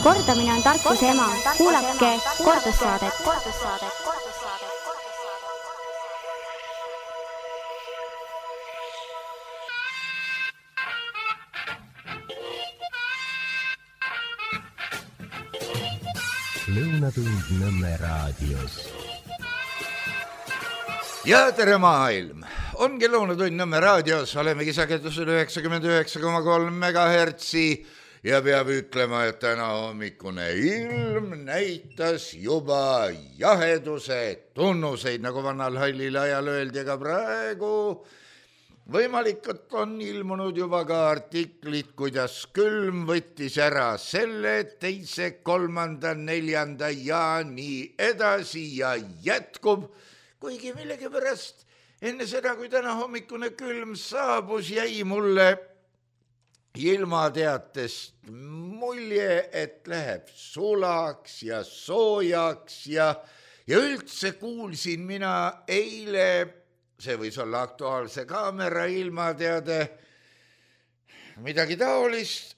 Kordamine on tarkuse ema. Kuulake kordussaadet. Lõunatund Nõmme raadios. Ja tere maailm! Ongi Lõunatund Nõmme raadios, olemegi sagedusel 99,3 megahertsi ja peab ütlema, et täna hommikune ilm näitas juba jaheduse tunnuseid, nagu vanal hallil ajal öeldi, aga praegu võimalik, et on ilmunud juba ka artiklid, kuidas külm võttis ära selle 2., 3., 4. ja nii edasi ja jätkub, kuigi millegipärast enne seda, kui täna hommikune külm saabus, jäi mulle ilmateatest mulje, et läheb sulaks ja soojaks ja üldse kuulsin mina eile, see võis olla Aktuaalse Kaamera ilmateade, midagi taolist,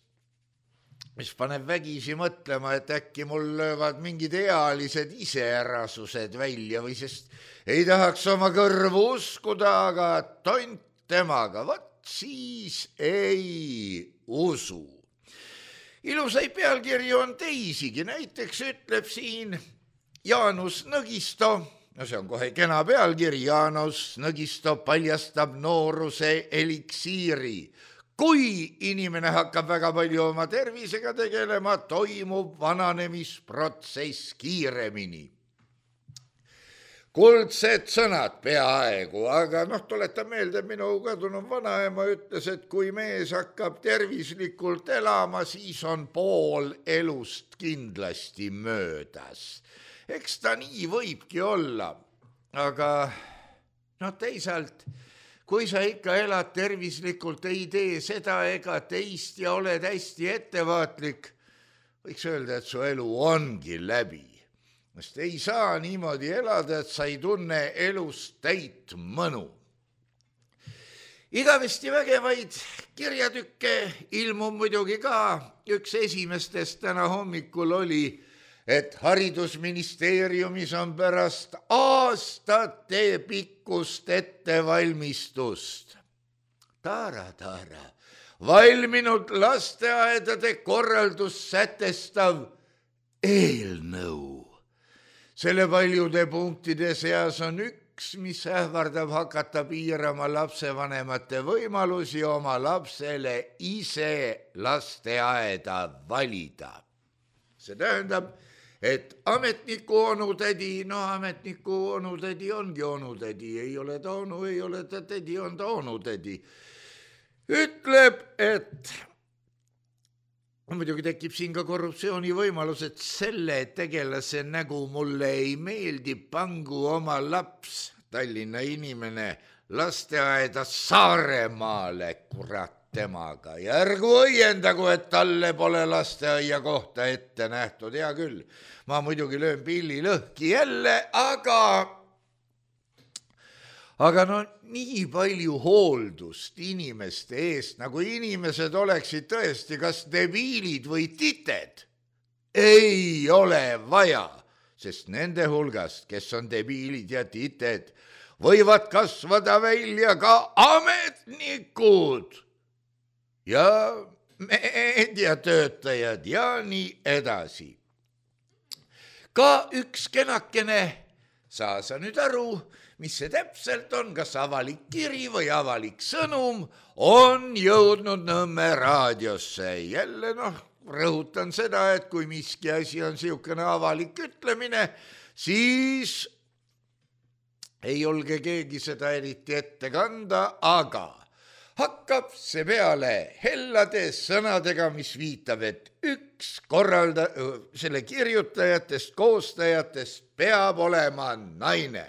mis paneb vägisi mõtlema, et äkki mul löövad mingid ealised iseärasused välja või sest ei tahaks oma kõrvu uskuda, aga tont temaga, vot siis ei usu. Ilusaid pealkirju on teisigi, näiteks ütleb siin Jaanus Nõgisto, no see on kohe kena pealkiri, Jaanus Nõgisto paljastab nooruse eliksiiri. Kui inimene hakkab väga palju oma tervisega tegelema, toimub vananemisprotsess kiiremini. Kuldsed sõnad peaaegu, aga tuletan meelde, minu kadunud vanaema ütles, et kui mees hakkab tervislikult elama, siis on pool elust kindlasti möödas. Eks ta nii võibki olla, aga teisalt, kui sa ikka elad tervislikult, ei tee seda ega teist ja oled hästi ettevaatlik, võiks öelda, et su elu ongi läbi. Sest ei saa niimoodi elada, et sa ei tunne elust täit mõnu. Igavesti vägevaid kirjatükke ilmub muidugi ka. Üks esimestest täna hommikul oli, et haridusministeeriumis on pärast aastate pikkust ettevalmistust. Taara, valminud lasteaedade korraldus sätestav eelnõu. Selle paljude punktide seas on üks, mis ähvardab hakata piirama lapsevanemate võimalusi oma lapsele ise lasteaeda valida. See tähendab, et ametniku onutädi, ametniku onutädi ongi onutädi, ei ole ta onu, ei ole ta tädi, on ta onutädi. Ütleb, et muidugi tekib siin ka korruptsiooni võimalus, et selle tegelase nägu mulle ei meeldi, pangu oma laps, Tallinna inimene, lasteaeda Saaremaale, kurat temaga. Ja ärgu õiendagu, et talle pole lasteaia kohta ette nähtud, hea küll. Ma muidugi löön pilli lõhki jälle, aga nii palju hooldust inimeste eest, nagu inimesed oleksid tõesti kas debiilid või tited, ei ole vaja, sest nende hulgast, kes on debiilid ja tited, võivad kasvada välja ka ametnikud ja meediatöötajad ja nii edasi. Ka üks kenakene, saa sa nüüd aru, mis see täpselt on, kas avalik kiri või avalik sõnum, on jõudnud Nõmme raadiosse. Jälle rõhutan seda, et kui miski asi on siukene avalik ütlemine, siis ei julge keegi seda eriti ette kanda, aga hakkab see peale hellade sõnadega, mis viitab, et üks selle kirjutajatest, koostajatest peab olema naine.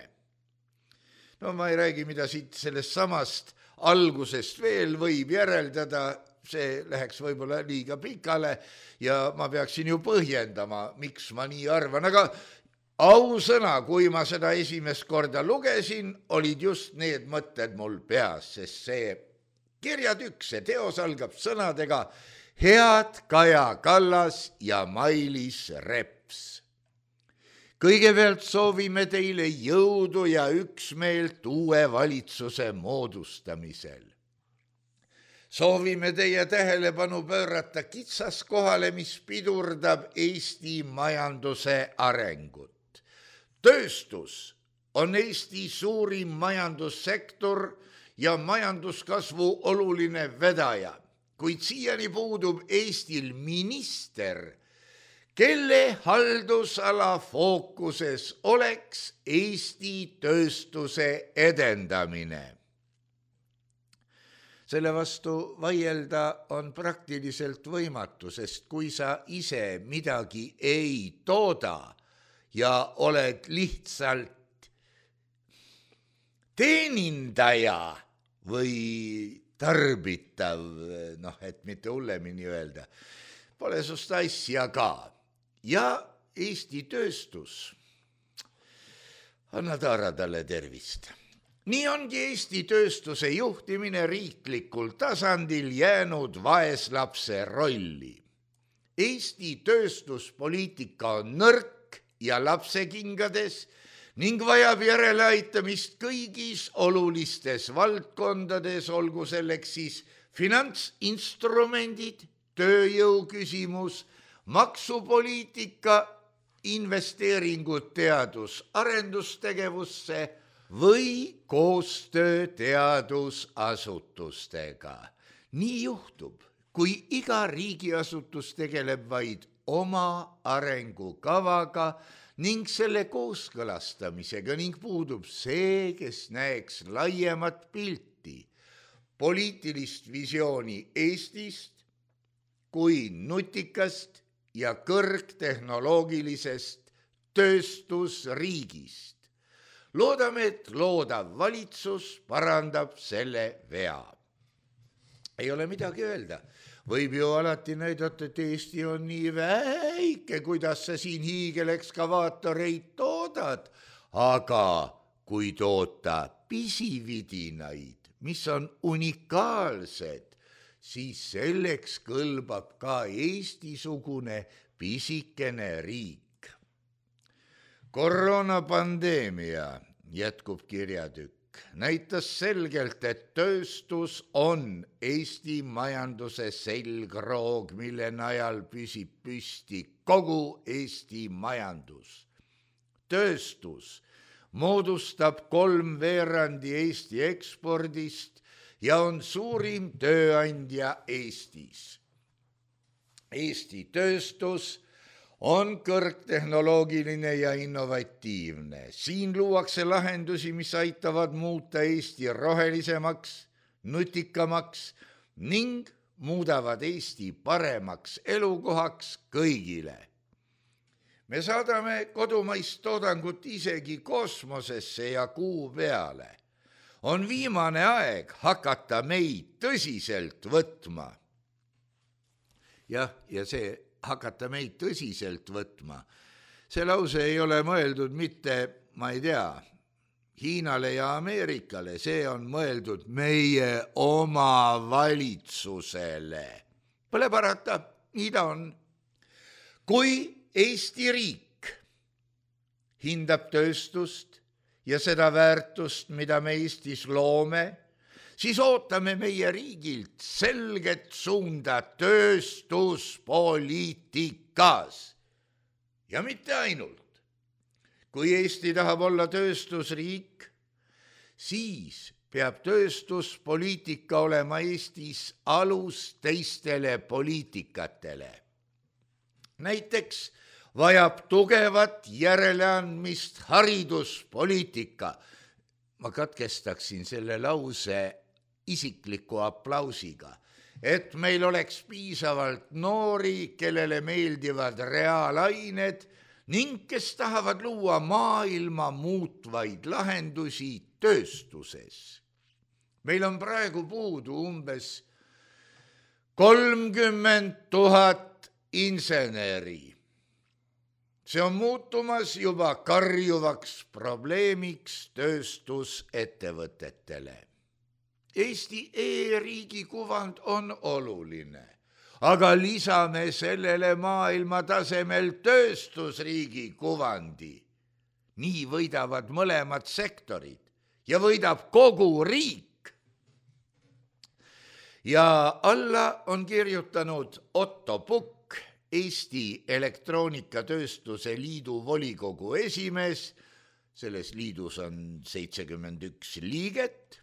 Ma ei räägi, mida siit sellest samast algusest veel võib järeldada, see läheks võib-olla liiga pikale ja ma peaksin ju põhjendama, miks ma nii arvan, aga ausõna, kui ma seda esimest korda lugesin, olid just need mõtted mul peas, sest see kirjatükk, see teos algab sõnadega, head Kaja Kallas ja Mailis Reps. Kõigepealt soovime teile jõudu ja üksmeelt uue valitsuse moodustamisel. Soovime teie tähelepanu pöörata kitsaskohale, mis pidurdab Eesti majanduse arengut. Tööstus on Eesti suurim majandussektor ja majanduskasvu oluline vedaja, kuid siiani puudub Eestil minister, kelle haldusala fookuses oleks Eesti tööstuse edendamine. Selle vastu vaielda on praktiliselt võimatu, sest kui sa ise midagi ei tooda ja oled lihtsalt teenindaja või tarbitav, et mitte hullemini öelda, pole sust asja ka. Ja Eesti tööstus, anna taara talle tervist. Nii ongi Eesti tööstuse juhtimine riiklikul tasandil jäänud vaeslapse rolli. Eesti tööstuspoliitika on nõrk ja lapsekingades ning vajab järeleaitamist kõigis olulistes valdkondades, olgu selleks siis finantsinstrumendid, tööjõu küsimus, maksupoliitika, investeeringud teadus-arendustegevusse või koostöö teadusasutustega. Nii juhtub, kui iga riigiasutus tegeleb vaid oma arengukavaga ning selle kooskõlastamisega ning puudub see, kes näeks laiemat pilti, poliitilist visiooni Eestist kui nutikast ja kõrgtehnoloogilisest tööstusriigist. Loodame, et loodav valitsus parandab selle vea. Ei ole midagi öelda. Võib ju alati näidata, et Eesti on nii väike, kuidas sa siin hiigelekskavaatoreid toodad. Aga kui toota pisividinaid, mis on unikaalsed, siis selleks kõlbab ka Eesti-sugune pisikene riik. Koroonapandeemia, jätkub kirjatükk, näitas selgelt, et tööstus on Eesti majanduse selgroog, mille najal püsib püsti kogu Eesti majandus. Tööstus moodustab 3/4 Eesti ekspordist ja on suurim tööandja Eestis. Eesti tööstus on kõrgtehnoloogiline ja innovatiivne. Siin luuakse lahendusi, mis aitavad muuta Eesti rohelisemaks, nutikamaks ning muudavad Eesti paremaks elukohaks kõigile. Me saadame kodumaist toodangut isegi kosmosesse ja kuu peale. On viimane aeg hakata meid tõsiselt võtma. Ja see hakata meid tõsiselt võtma. See lause ei ole mõeldud mitte, ma ei tea, Hiinale ja Ameerikale, see on mõeldud meie oma valitsusele. Pole parata, nii ta on. Kui Eesti riik hindab tööstust ja seda väärtust, mida me Eestis loome, siis ootame meie riigilt selget suunda tööstuspoliitikas. Ja mitte ainult. Kui Eesti tahab olla tööstusriik, siis peab tööstuspoliitika olema Eestis alus teistele poliitikatele. Näiteks vajab tugevat järeleandmist hariduspoliitika. Ma katkestaksin selle lause isikliku aplausiga, et meil oleks piisavalt noori, kellele meeldivad reaalained ning kes tahavad luua maailma muutvaid lahendusi tööstuses. Meil on praegu puudu umbes 30 000 inseneri. See on muutumas juba karjuvaks probleemiks tööstusettevõtetele. Eesti e-riigi kuvand on oluline. aga lisame sellele maailma tasemel tööstusriigi kuvandi. Nii võidavad mõlemad sektorid ja võidab kogu riik. Ja alla on kirjutanud Otto Pukk, Eesti Elektroonikatööstuse Liidu volikogu esimees, selles liidus on 71 liiget,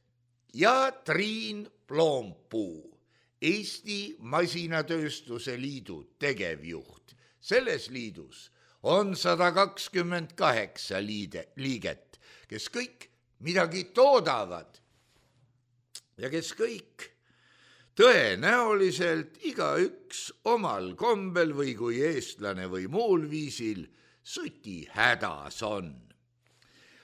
ja Triin Ploompuu, Eesti Masinatööstuse Liidu tegevjuht. Selles liidus on 128 liiget, kes kõik midagi toodavad ja kes kõik tõenäoliselt igaüks omal kombel või kui eestlane või muul viisil suti hädas on.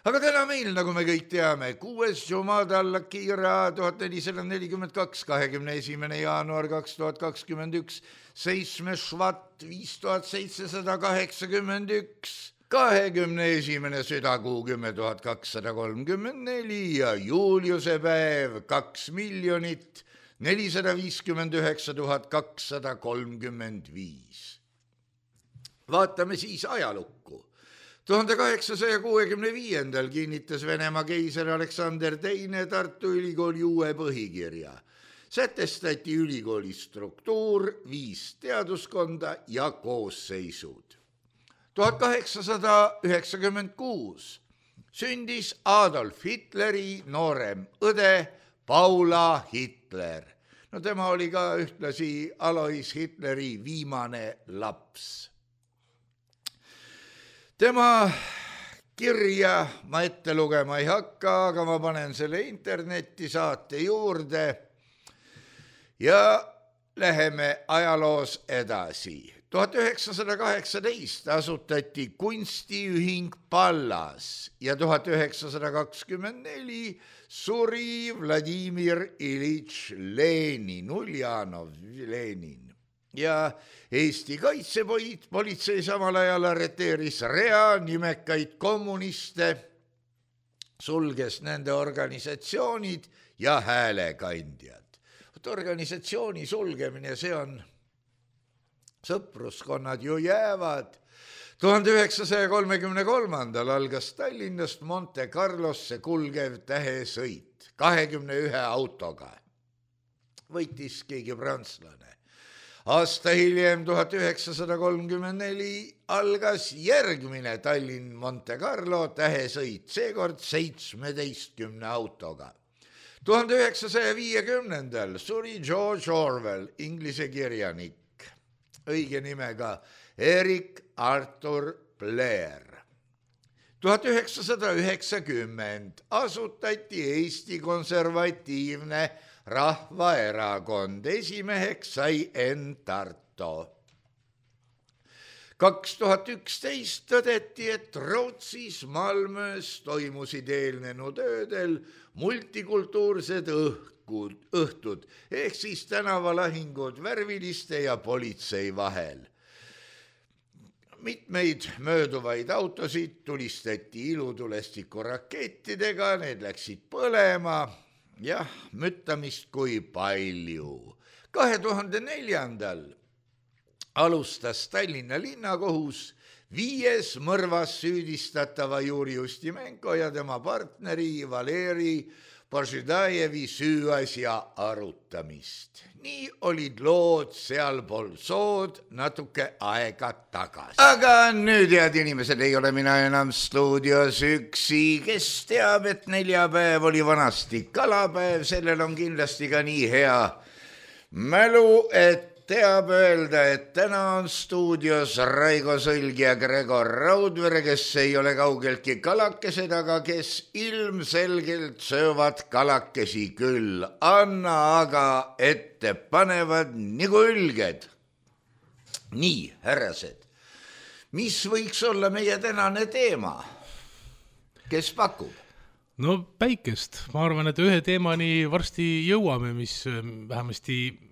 Aga täna meil, nagu me kõik teame, 6. Jumada Al-Akira 1442, 21. jaanuar 2021, 7. Švat 5781, 21. südakuu 10.234 ja Juliuse päev 2 459 235. Vaatame siis ajalukku. 1865. kinnitas Venemaa keiser Aleksander II Tartu Ülikooli uue põhikirja. Sätestati ülikooli struktuur, 5 teaduskonda ja koosseisud. 1896 sündis Adolf Hitleri noorem õde Paula Hitler. No tema oli ka ühtlasi Alois Hitleri viimane laps. Tema kirja ma ette lugema ei hakka, aga ma panen selle internetti saate juurde ja läheme ajaloos edasi. 1918 asutati kunstiühing Pallas ja 1924 suri Vladimir Ilitš Lenin, Uljanov Lenin. Ja Eesti kaitsepolitsei samal ajal arreteeris rea nimekaid kommuniste, sulges nende organisatsioonid ja häälekandjad. Organisatsiooni sulgemine, see on, sõpruskonnad ju jäävad. 1933. algas Tallinnast Monte Carlosse kulgev tähesõit 21 autoga. Võitis keegi prantslane. Aasta hiljem, 1934, algas järgmine Tallinn-Monte Carlo tähesõit, seekord 17 autoga. 1950. suri George Orwell, inglise kirjanik, õige nimega Eric Arthur Blair. 1990 asutati Eesti Konservatiivne Rahvaerakond, esimeheks sai Enn Tarto. 2011 tõdeti, et Rootsis Malmös toimusid eelnenud öödel multikultuursed õhtud, ehk siis tänavalahingud värviliste ja politsei vahel. Mitmeid mööduvaid autosid tulistati ilutulestiku rakettidega, need läksid põlema. Jah, müttamist kui palju. 2004. alustas Tallinna linnakohus 5. mõrvas süüdistatava Juri Ustimenko ja tema partneri Valeri Požidajevi süüasja arutamist. Nii olid lood sealpool sood natuke aega tagasi. Aga nüüd, head inimesed, ei ole mina enam stuudios üksi. Kes teab, et neljapäev oli vanasti kalapäev, sellel on kindlasti ka nii hea mälu, et teab öelda, et täna on stuudios Raigo Sõlg ja Gregor Raudvere, kes ei ole kaugeltki kalakesed, aga kes ilmselgelt söövad kalakesi küll. Anna aga ette panevad nagu ülged. Nii, härrased, mis võiks olla meie tänane teema? Kes pakub? No päikest. Ma arvan, et ühe teemani varsti jõuame, mis vähemasti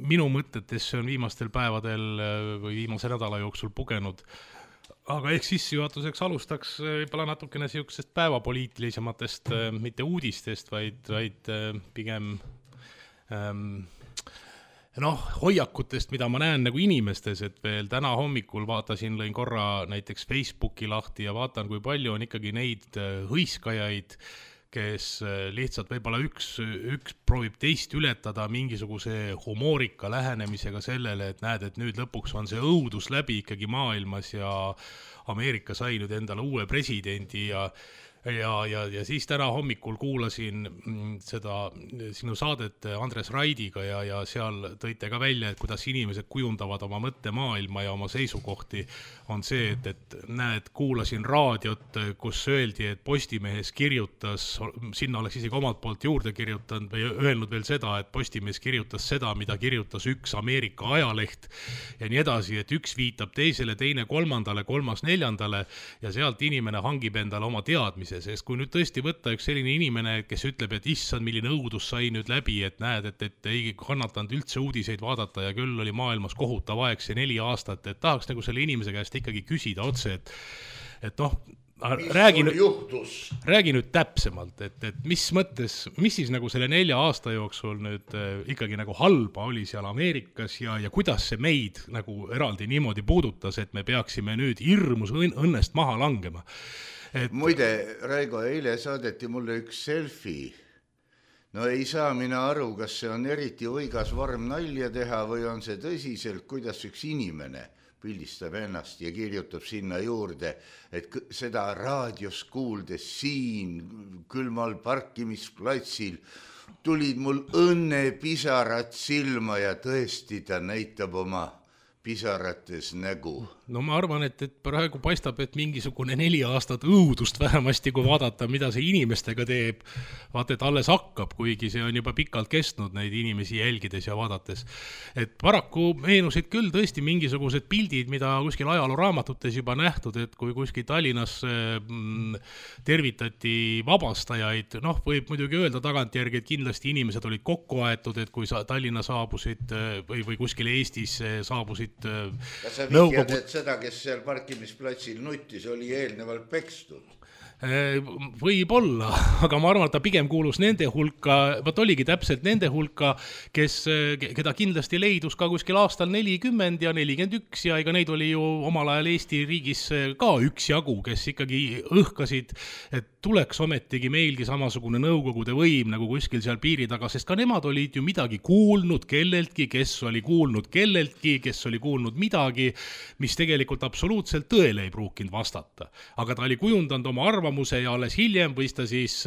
minu mõtetesse on viimastel päevadel või viimase nädala jooksul pugenud. Aga ehk sissejuhatuseks alustaks võib-olla natukene siuksest päevapoliitilisematest, mitte uudistest, vaid pigem hoiakutest, mida ma näen nagu inimestes, et veel täna hommikul vaatasin, lõin korra näiteks Facebooki lahti ja vaatan, kui palju on ikkagi neid hõiskajaid, kes lihtsalt võib-olla üks proovib teist ületada mingisuguse humoorika lähenemisega sellele, et näed, et nüüd lõpuks on see õudus läbi ikkagi maailmas ja Ameerika sai nüüd endale uue presidendi ja siis täna hommikul kuulasin seda sinu saadet Andres Raidiga ja seal tõite ka välja, et kuidas inimesed kujundavad oma mõttemaailma ja oma seisukohti, on see, et näed, kuulasin raadiot, kus öeldi, et Postimehes kirjutas, sinna oleks isegi omalt poolt juurde kirjutanud või öelnud veel seda, et Postimehes kirjutas seda, mida kirjutas üks Ameerika ajaleht ja nii edasi, et üks viitab teisele, teine kolmandale, kolmas neljandale ja sealt inimene hangib endale oma teadmise. Sest kui nüüd tõesti võtta üks selline inimene, kes ütleb, et issand, milline õudus sai nüüd läbi, et näed, et ei kannatanud üldse uudiseid vaadata ja küll oli maailmas kohutav aeg see 4 aastat, et tahaks nagu selle inimese käest ikkagi küsida otse, et räägi nüüd täpsemalt, et mis mõttes, mis siis nagu selle 4 aasta jooksul nüüd ikkagi nagu halba oli seal Ameerikas ja kuidas see meid nagu eraldi niimoodi puudutas, et me peaksime nüüd hirmus õnnest maha langema. Muide, Raigo, eile saadeti mulle üks selfie. No ei saa mina aru, kas see on eriti võigas vorm nalja teha või on see tõsiselt, kuidas üks inimene pildistab ennast ja kirjutab sinna juurde, et seda raadios kuuldes siin külmal parkimisplatsil tulid mul õnnepisarad silma ja tõesti ta näitab oma pisarates nägu. No ma arvan, et praegu paistab, et mingisugune 4 aastat õudust vähemasti, kui vaadata, mida see inimestega teeb. Vaata, et alles hakkab, kuigi see on juba pikalt kestnud neid inimesi jälgides ja vaadates. Et paraku meenusid küll tõesti mingisugused pildid, mida kuskil ajalooraamatutes juba nähtud, et kui kuskil Tallinnas tervitati vabastajaid, võib muidugi öelda tagantjärgi, et kindlasti inimesed olid kokku aetud, et kui Tallinna saabusid või kuskil Eestis saabusid Kas sa vihjad, et seda, kes seal parkimisplatsil nuttis, oli eelnevalt pekstud? Võib-olla, aga ma arvan, et ta pigem kuulus nende hulka, oligi täpselt nende hulka, keda kindlasti leidus ka kuskil aastal 40 ja 41 ja ega neid oli ju omal ajal Eesti riigis ka üksjagu, kes ikkagi õhkasid, et tuleks ometigi meilgi samasugune nõukogude võim nagu kuskil seal piiri taga, sest ka nemad olid ju midagi kuulnud kelleltki, kes oli kuulnud kelleltki, kes oli kuulnud midagi, mis tegelikult absoluutselt tõele ei pruukinud vastata. Aga ta oli kujundanud oma arvamuse ja alles hiljem võis ta siis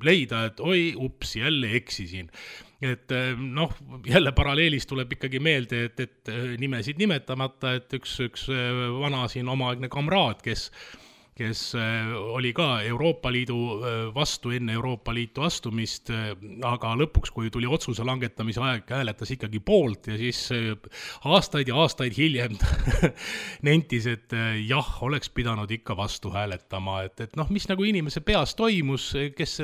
leida, et oi, ups, jälle eksisin. Et jälle paralleelis tuleb ikkagi meelde, et nimesid nimetamata, et üks vana siin omaaegne kamraad, kes oli ka Euroopa Liidu vastu enne Euroopa Liitu astumist, aga lõpuks, kui tuli otsuse langetamise aeg, hääletas ikkagi poolt ja siis aastaid ja aastaid hiljem nentis, et jah, oleks pidanud ikka vastu hääletama, et mis nagu inimese peas toimus, kes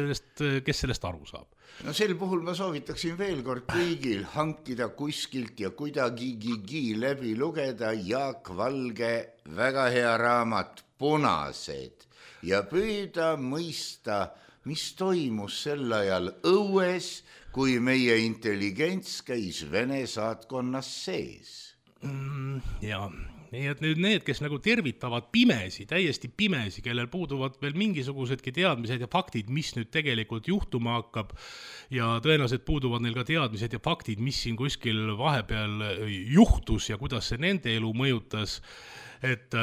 sellest aru saab. No sel puhul ma soovitaksin veel kord kõigil hankida kuskilt ja kuidagi läbi lugeda Jaak Valge väga hea raamat Punased ja püüda mõista, mis toimus sel ajal õues, kui meie intelligents käis Vene saatkonnas sees. Jaa. Nii et nüüd need, kes nagu tervitavad pimesi, täiesti pimesi, kellel puuduvad veel mingisugusedki teadmised ja faktid, mis nüüd tegelikult juhtuma hakkab ja tõenäoliselt puuduvad neil ka teadmised ja faktid, mis siin kuskil vahepeal juhtus ja kuidas see nende elu mõjutas, et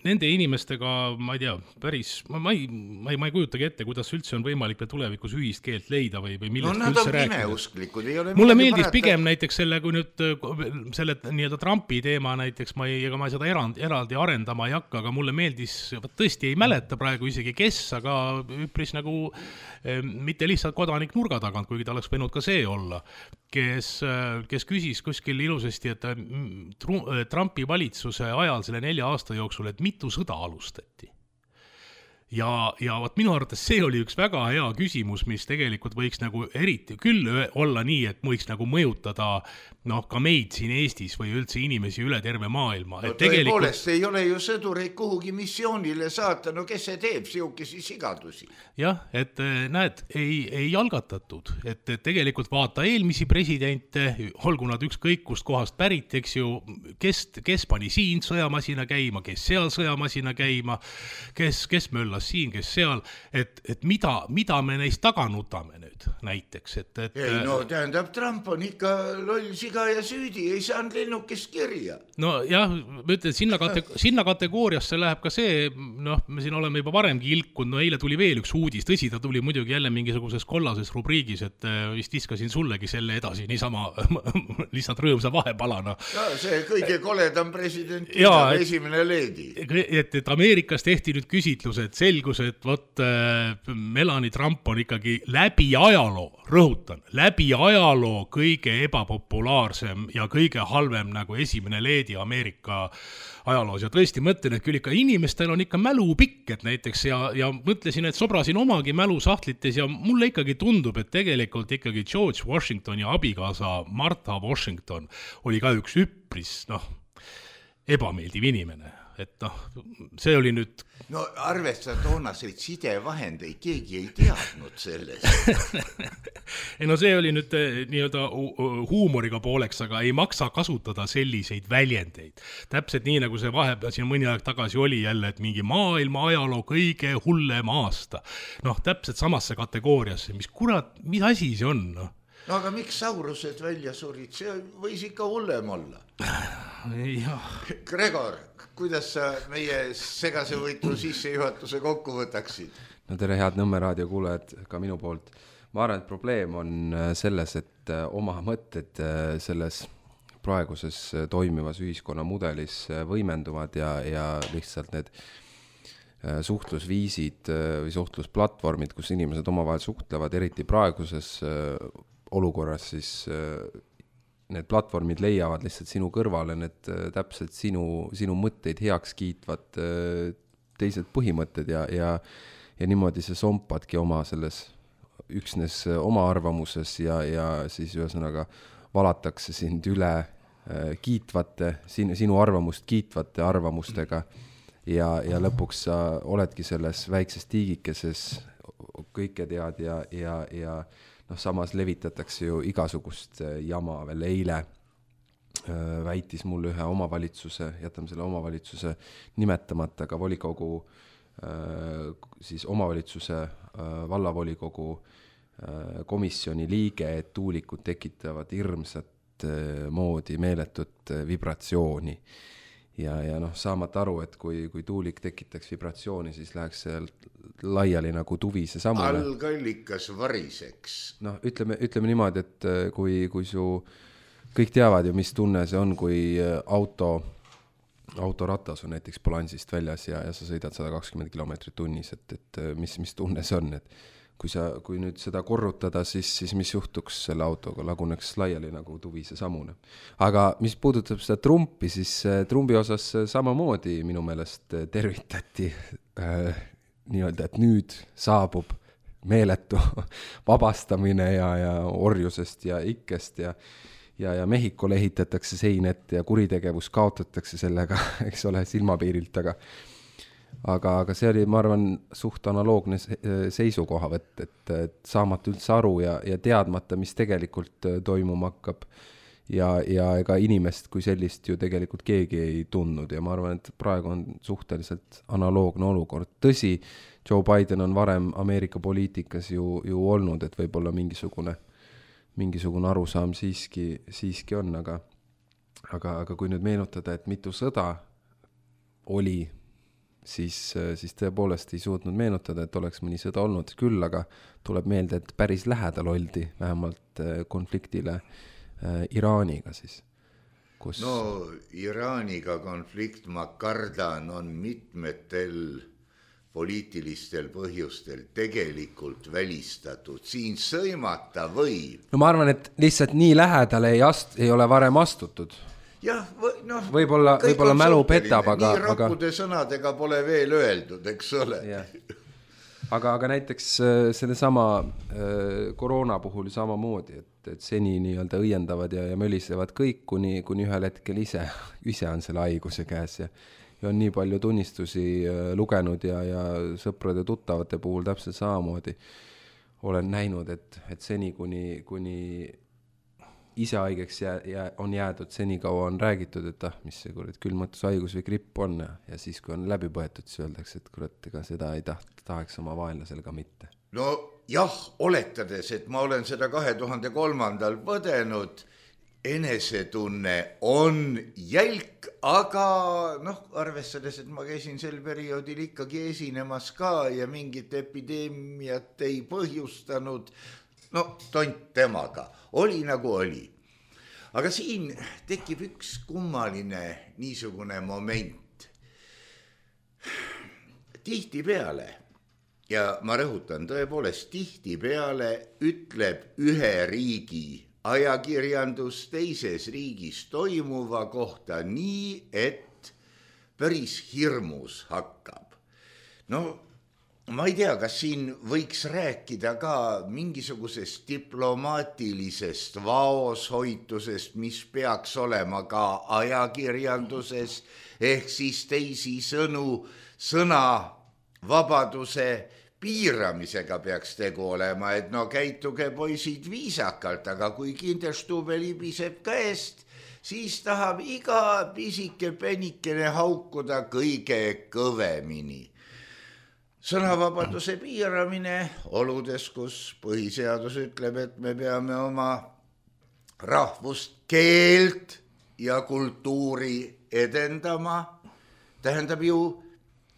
nende inimestega, ma ei tea, päris, ma ei kujutagi ette, kuidas üldse on võimalik tulevikus ühist keelt leida või millest üldse rääkida. Mulle meeldis pigem näiteks selle, kui nüüd selle nii-öelda Trumpi teema näiteks, ega ma seda eraldi arendama ei hakka, aga mulle meeldis, tõesti ei mäleta praegu isegi kes, aga üpris nagu mitte lihtsalt kodanik nurga tagant, kuigi ta oleks võinud ka see olla, kes küsis kuskil ilusasti, et Trumpi valitsuse ajal selle 4 aasta jooksul, et mitu sõda alustati. ja võt minu arvates see oli üks väga hea küsimus, mis tegelikult võiks nagu eriti küll olla nii, et võiks nagu mõjutada ka meid siin Eestis või üldse inimesi üle terve maailma. No tõepoolest ei ole ju sõdureid kuhugi missioonile saata, no kes see teeb siukesi sigadusi? Jah, et näed, ei algatatud, et tegelikult vaata eelmisi presidente, olgu nad ükskõik kust kohast pärit, eks ju, kes pani siin sõjamasina käima, kes seal sõjamasina käima, kes möllas siin, kes seal, et mida me neist taga nutame nüüd näiteks, Ei, no tähendab, Trump on ikka loll siga ja süüdi, ei saanud lennukest kirja. No jah, ma ütlen, sinna kategooriasse läheb ka see, me siin oleme juba varemgi ilkunud, eile tuli veel üks uudis, tõsi, ta tuli muidugi jälle mingisuguses kollases rubriigis, et vist viskasin sullegi selle edasi, niisama lihtsalt rõõmsa vahepalana. Ja, see kõige koledam president, esimene leedi. Et Ameerikas tehti nüüd küsitlus, et selgus, et Melanie Trump on ikkagi läbi ajaloo, rõhutan, läbi ajaloo kõige ebapopulaarsem ja kõige halvem nagu esimene leedi Ameerika ajaloos. Ja tõesti mõtlen, et küll ikka inimestel on ikka mälu pikk, et näiteks ja mõtlesin, et sobrasin omagi mälusahtlites ja mulle ikkagi tundub, et tegelikult ikkagi George Washington ja abikaasa Martha Washington oli ka üks üpris, ebameeldiv inimene. Et see oli nüüd... No arvesta toonaseid sidevahendeid, keegi ei teadnud sellest. See oli nüüd nii-öelda huumoriga pooleks, aga ei maksa kasutada selliseid väljendeid. Täpselt nii, nagu see vahepeal siin mõni aeg tagasi oli jälle, et mingi maailma ajaloo kõige hullem aasta. Täpselt samasse kategooriasse, mis asi see on? No aga miks saurused välja surid? See võis ikka hullem olla. Gregor, kuidas sa meie segase võitu sissejuhatuse kokku võtaksid? No tere, head Nõmme raadio kuulajad ka minu poolt. Ma arvan, et probleem on selles, et oma mõtted selles praeguses toimivas ühiskonnamudelis võimenduvad ja lihtsalt need suhtlusviisid või suhtlusplatvormid, kus inimesed omavahel suhtlevad, eriti praeguses olukorras, siis need platvormid leiavad lihtsalt sinu kõrvale need täpselt sinu mõtteid heaks kiitvad teised põhimõtted ja niimoodi see sompadki oma selles üksnes oma arvamuses ja siis ühesõnaga valatakse sind üle kiitvate, sinu arvamust kiitvate arvamustega ja lõpuks sa oledki selles väikses tiigikeses, kõike tead ja samas levitatakse ju igasugust jama. Veel eile väitis mulle ühe omavalitsuse, jätame selle omavalitsuse nimetamata, ka volikogu, siis omavalitsuse vallavolikogu komisjoni liige, et tuulikud tekitavad hirmsat moodi meeletut vibratsiooni. Ja saamata aru, et kui tuulik tekitaks vibratsiooni, siis läheks seal laiali nagu tuvise samule. Algallikas variseks. Ütleme niimoodi, et kui su kõik teavad ju, mis tunne see on, kui autoratas on näiteks balansist väljas ja sa sõidad 120 kilomeetrit tunnis, et mis tunne see on, et kui nüüd seda korrutada, siis mis juhtuks selle autoga, laguneks laiali nagu tuvise samune. Aga mis puudutab seda Trumpi, siis Trumpi osas samamoodi minu meelest tervitati nii-öelda, et nüüd saabub meeletu vabastamine ja orjusest ja ikkest ja Mehhikole ehitatakse seinet ja kuritegevus kaotatakse sellega, eks ole, silmapiirilt, aga see oli, ma arvan, suht analoogne seisukohavõtt, et saamata üldse aru ja teadmata, mis tegelikult toimuma hakkab ja ega inimest kui sellist ju tegelikult keegi ei tundnud ja ma arvan, et praegu on suhteliselt analoogne olukord. Tõsi, Joe Biden on varem Ameerika poliitikas ju olnud, et võib-olla mingisugune arusaam siiski on, aga kui nüüd meenutada, et mitu sõda oli, siis tõepoolest ei suutnud meenutada, et oleks mõni sõda olnud küll, aga tuleb meelde, et päris lähedal oldi vähemalt konfliktile Iraaniga siis. No Iraaniga konflikt, ma kardan, on mitmetel poliitilistel põhjustel tegelikult välistatud. Siin sõimata võib. No ma arvan, et lihtsalt nii lähedale ei ole varem astutud. jah, noh, võib-olla mälu petab, aga nii rakkude sõnadega pole veel öeldud, eks ole. Aga näiteks sellesama koroona puhul samamoodi, et seni nii-öelda õiendavad ja mölisevad kõik, kuni ühel hetkel ise on selle haiguse käes ja on nii palju tunnistusi lugenud ja sõprade tuttavate puhul täpselt samamoodi olen näinud, et seni kuni ise haigeks on jäädud, seni kaua on räägitud, et mis see kurat külmatushaigus või gripp on ja siis kui on läbi põetud, siis öeldakse, et kurat, ega seda ei tahaks oma vaenlasel ka mitte. No jah, oletades, et ma olen seda 2003. põdenud, enesetunne on jälk, aga noh, arvestades, et ma käisin sel perioodil ikkagi esinemas ka ja mingit epideemiat ei põhjustanud, no tont temaga, oli nagu oli. Aga siin tekib üks kummaline niisugune moment. Tihtipeale, ja ma rõhutan, tõepoolest tihtipeale ütleb ühe riigi ajakirjandus teises riigis toimuva kohta nii, et päris hirmus hakkab. No ma ei tea, kas siin võiks rääkida ka mingisugusest diplomaatilisest vaoshoitusest, mis peaks olema ka ajakirjanduses, ehk siis teisisõnu sõnavabaduse piiramisega peaks tegu olema, et no käituge poisid viisakalt, aga kui Kinderstube libiseb käest, siis tahab iga pisike penikene haukuda kõige kõvemini. Sõnavabaduse piiramine oludes, kus põhiseadus ütleb, et me peame oma rahvust, keelt ja kultuuri edendama, tähendab ju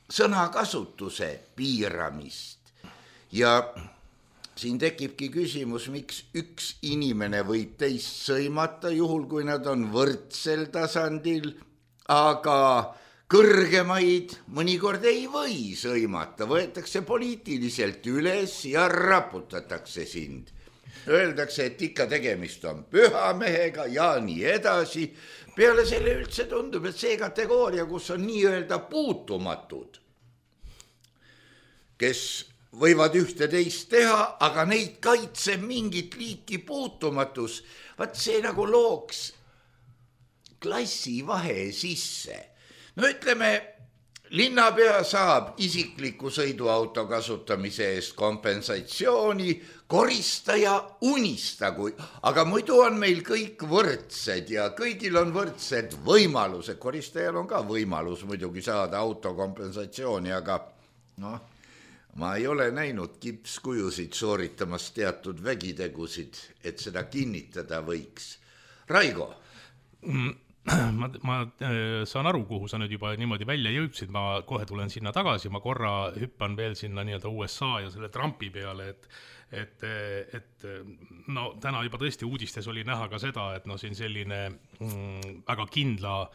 sõnakasutuse piiramist. Ja siin tekibki küsimus, miks üks inimene võib teist sõimata, juhul kui nad on võrdsel tasandil, aga kõrgemaid mõnikord ei või sõimata, võetakse poliitiliselt üles ja raputatakse sind. Öeldakse, et ikka tegemist on pühamehega ja nii edasi. Peale selle üldse tundub, et see kategooria, kus on nii-öelda puutumatud, kes võivad ühte teist teha, aga neid kaitseb mingit liiki puutumatus. Vaat see nagu looks klassivahe sisse. No ütleme, linnapea saab isikliku sõiduauto kasutamise eest kompensatsiooni, koristaja unistagu, aga muidu on meil kõik võrdsed ja kõigil on võrdsed võimalused. Koristajal on ka võimalus muidugi saada autokompensatsiooni, aga noh, ma ei ole näinud kipskujusid sooritamas teatud vägitegusid, et seda kinnitada võiks. Raigo? Ma saan aru, kuhu sa nüüd juba niimoodi välja jõudsid, ma kohe tulen sinna tagasi, ma korra hüppan veel sinna nii-öelda USA ja selle Trumpi peale, et no täna juba tõesti uudistes oli näha ka seda, et no siin selline väga kindla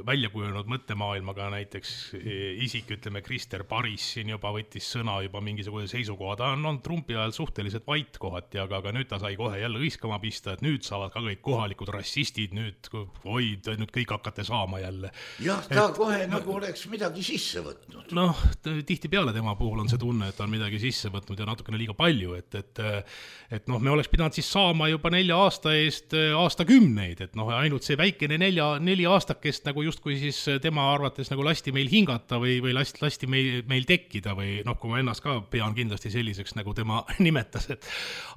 välja kujunenud mõttemaailmaga näiteks isik, ütleme Krister Paris siin juba võttis sõna juba mingisuguse seisukoha, ta on Trumpi ajal suhteliselt vait kohati, aga nüüd ta sai kohe jälle hõiskama pista, et nüüd saavad ka kõik kohalikud rassistid, nüüd kõik hakkate saama jälle. Jah, ta kohe nagu oleks midagi sisse võtnud. Noh, tihti peale tema puhul on see tunne, et ta on midagi sisse võtnud ja natukene liiga palju, et noh, me oleks pidanud siis saama juba 4 aasta eest aastakümneid, et noh, ainult see väikene 4 aastakest nagu justkui siis tema arvates nagu lasti meil hingata või lasti meil tekkida või noh, kui ma ennast ka pean kindlasti selliseks, nagu tema nimetas, et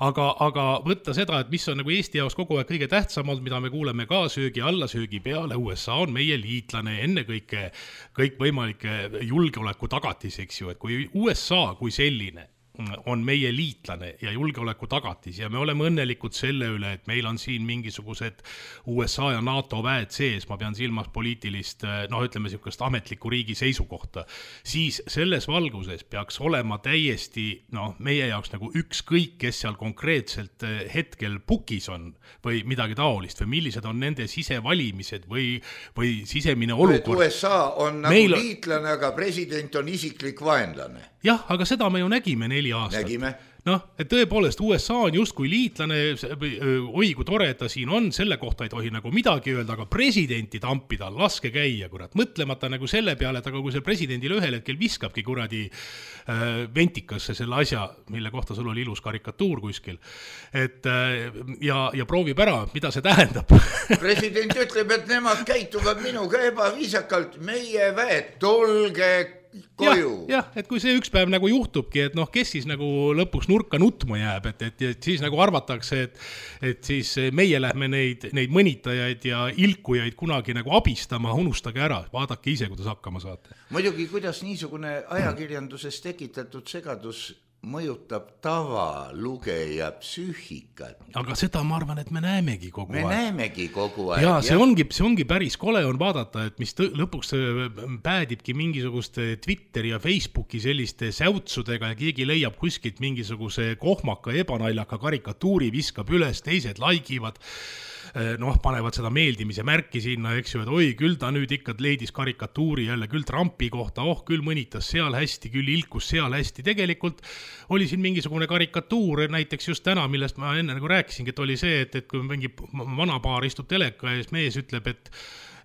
aga võtta seda, et mis on nagu Eesti jaoks kogu aeg kõige tähtsamalt, mida me kuuleme ka söögi alla, söögi peale, USA on meie liitlane, ennekõike kõik võimalike julgeoleku tagatis, eks ju, et kui USA kui selline on meie liitlane ja julgeoleku tagatis ja me oleme õnnelikud selle üle, et meil on siin mingisugused USA ja NATO väed sees, ma pean silmas poliitilist, noh ütleme niisugust ametliku riigi seisukohta, siis selles valguses peaks olema täiesti meie jaoks nagu ükskõik, kes seal konkreetselt hetkel pukis on või midagi taolist või millised on nende sisevalimised või sisemine olukord. USA on nagu liitlane, aga president on isiklik vaenlane. Jah, aga seda me ju nägime 4 aastat. Nägime. noh, et tõepoolest USA on justkui liitlane, oi kui tore, et ta siin on, selle kohta ei tohi nagu midagi öelda, aga presidenti tampida, laske käia, kurat, mõtlemata nagu selle peale, et aga kui see presidendile ühel hetkel viskabki kuradi ventikasse selle asja, mille kohta sul oli ilus karikatuur kuskil, et ja proovib ära, mida see tähendab. President ütleb, et nemad käituvad minuga ebaviisakalt, meie väed, tulge koju. Jah, et kui see üks päev nagu juhtubki, et noh, kes siis nagu lõpuks nurka nutma jääb, et siis nagu arvatakse, et siis meie lähme neid mõnitajaid ja ilkujaid kunagi nagu abistama, unustage ära, vaadake ise, kuidas hakkama saate. Muidugi, kuidas niisugune ajakirjanduses tekitatud segadus mõjutab tavalugeja psüühikat. Aga seda ma arvan, et me näemegi kogu aeg. Me näemegi kogu aeg. Ja see ongi päris kole on vaadata, et mis lõpuks päädibki mingisuguste Twitteri ja Facebooki selliste säutsudega ja keegi leiab kuskilt mingisuguse kohmaka ebanaljaka karikatuuri, viskab üles, teised laigivad, noh, panevad seda meeldimise märki sinna, eks ju, et oi, küll ta nüüd ikka leidis karikatuuri jälle, küll Trumpi kohta, küll mõnitas seal hästi, küll ilkus seal hästi. Tegelikult oli siin mingisugune karikatuur, näiteks just täna, millest ma enne nagu rääkisingi, et oli see, et kui mingi vana paar istub teleka ees, mees ütleb, et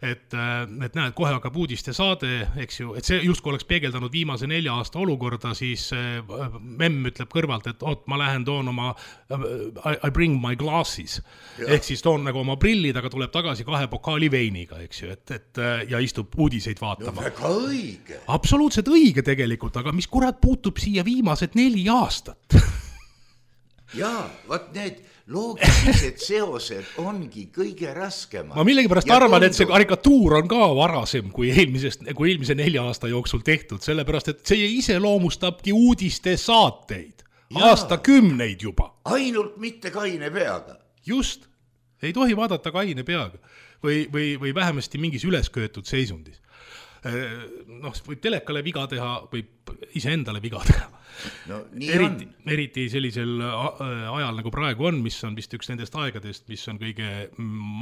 näed, kohe hakkab uudiste saade, eks ju, et see justkui oleks peegeldanud viimase 4 aasta olukorda, siis memm ütleb kõrvalt, et ma lähen toon oma I bring my glasses, ehk siis toon nagu oma prillid, aga tuleb tagasi 2 pokaali veiniga, eks ju, et ja istub uudiseid vaatama. No väga õige. Absoluutselt õige tegelikult, aga mis kurat puutub siia viimased 4 aastat? Jaa, võt need loogilised seosed ongi kõige raskemad. Ma millegipärast arvan, et see karikatuur on ka varasem kui eelmise 4 aasta jooksul tehtud, sellepärast, et see iseloomustabki uudiste saateid. Aastakümneid juba. Ainult mitte kaine peaga. Just. Ei tohi vaadata kaine peaga. Või vähemasti mingis ülesköetud seisundis. Noh, võib telekale viga teha, võib iseendale viga teha. No, eriti sellisel ajal nagu praegu on, mis on vist üks nendest aegadest, mis on kõige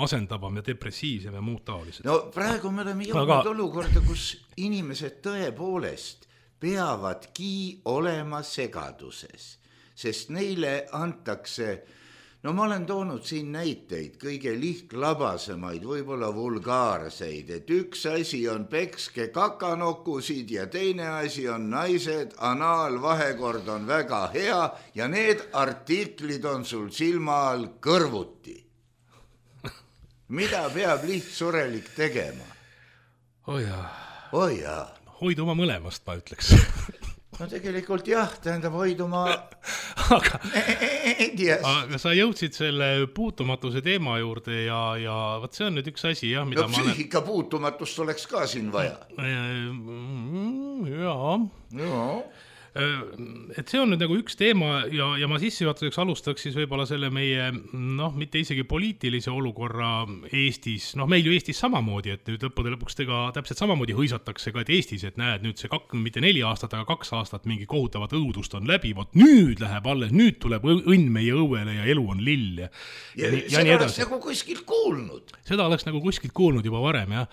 masendavam ja depressiivsem ja muud taolised. No praegu me oleme jõudnud olukorda, kus inimesed tõepoolest peavadki olema segaduses, sest neile antakse, no ma olen toonud siin näiteid, kõige lihtlabasemaid, võib-olla vulgaarseid, et üks asi on pekske kakanokusid ja teine asi on naised, anaalvahekord on väga hea ja need artiklid on sul silma all kõrvuti. Mida peab lihtsurelik tegema? Jaa. Hoiduma mõlemast, ma ütleks. No tegelikult jah, tähendab hoiduma aga sa jõudsid selle puutumatuse teema juurde ja võt see on nüüd üks asi, jah, mida no, psüühika puutumatust oleks ka siin vaja. Jaa. Et see on nüüd nagu üks teema ja ma sissejuhatuseks alustaks siis võib-olla selle meie, noh, mitte isegi poliitilise olukorra Eestis, noh, meil ju Eestis samamoodi, et nüüd lõpuks tega täpselt samamoodi hõisatakse ka, et Eestis, et näed, nüüd see mitte 4 aastat, aga 2 aastat mingi kohutavat õudust on läbi, vot nüüd läheb alles, nüüd tuleb õnn meie õuele ja elu on lill ja seda oleks nagu kuskilt kuulnud. Seda oleks nagu kuskilt kuulnud juba varem, jah.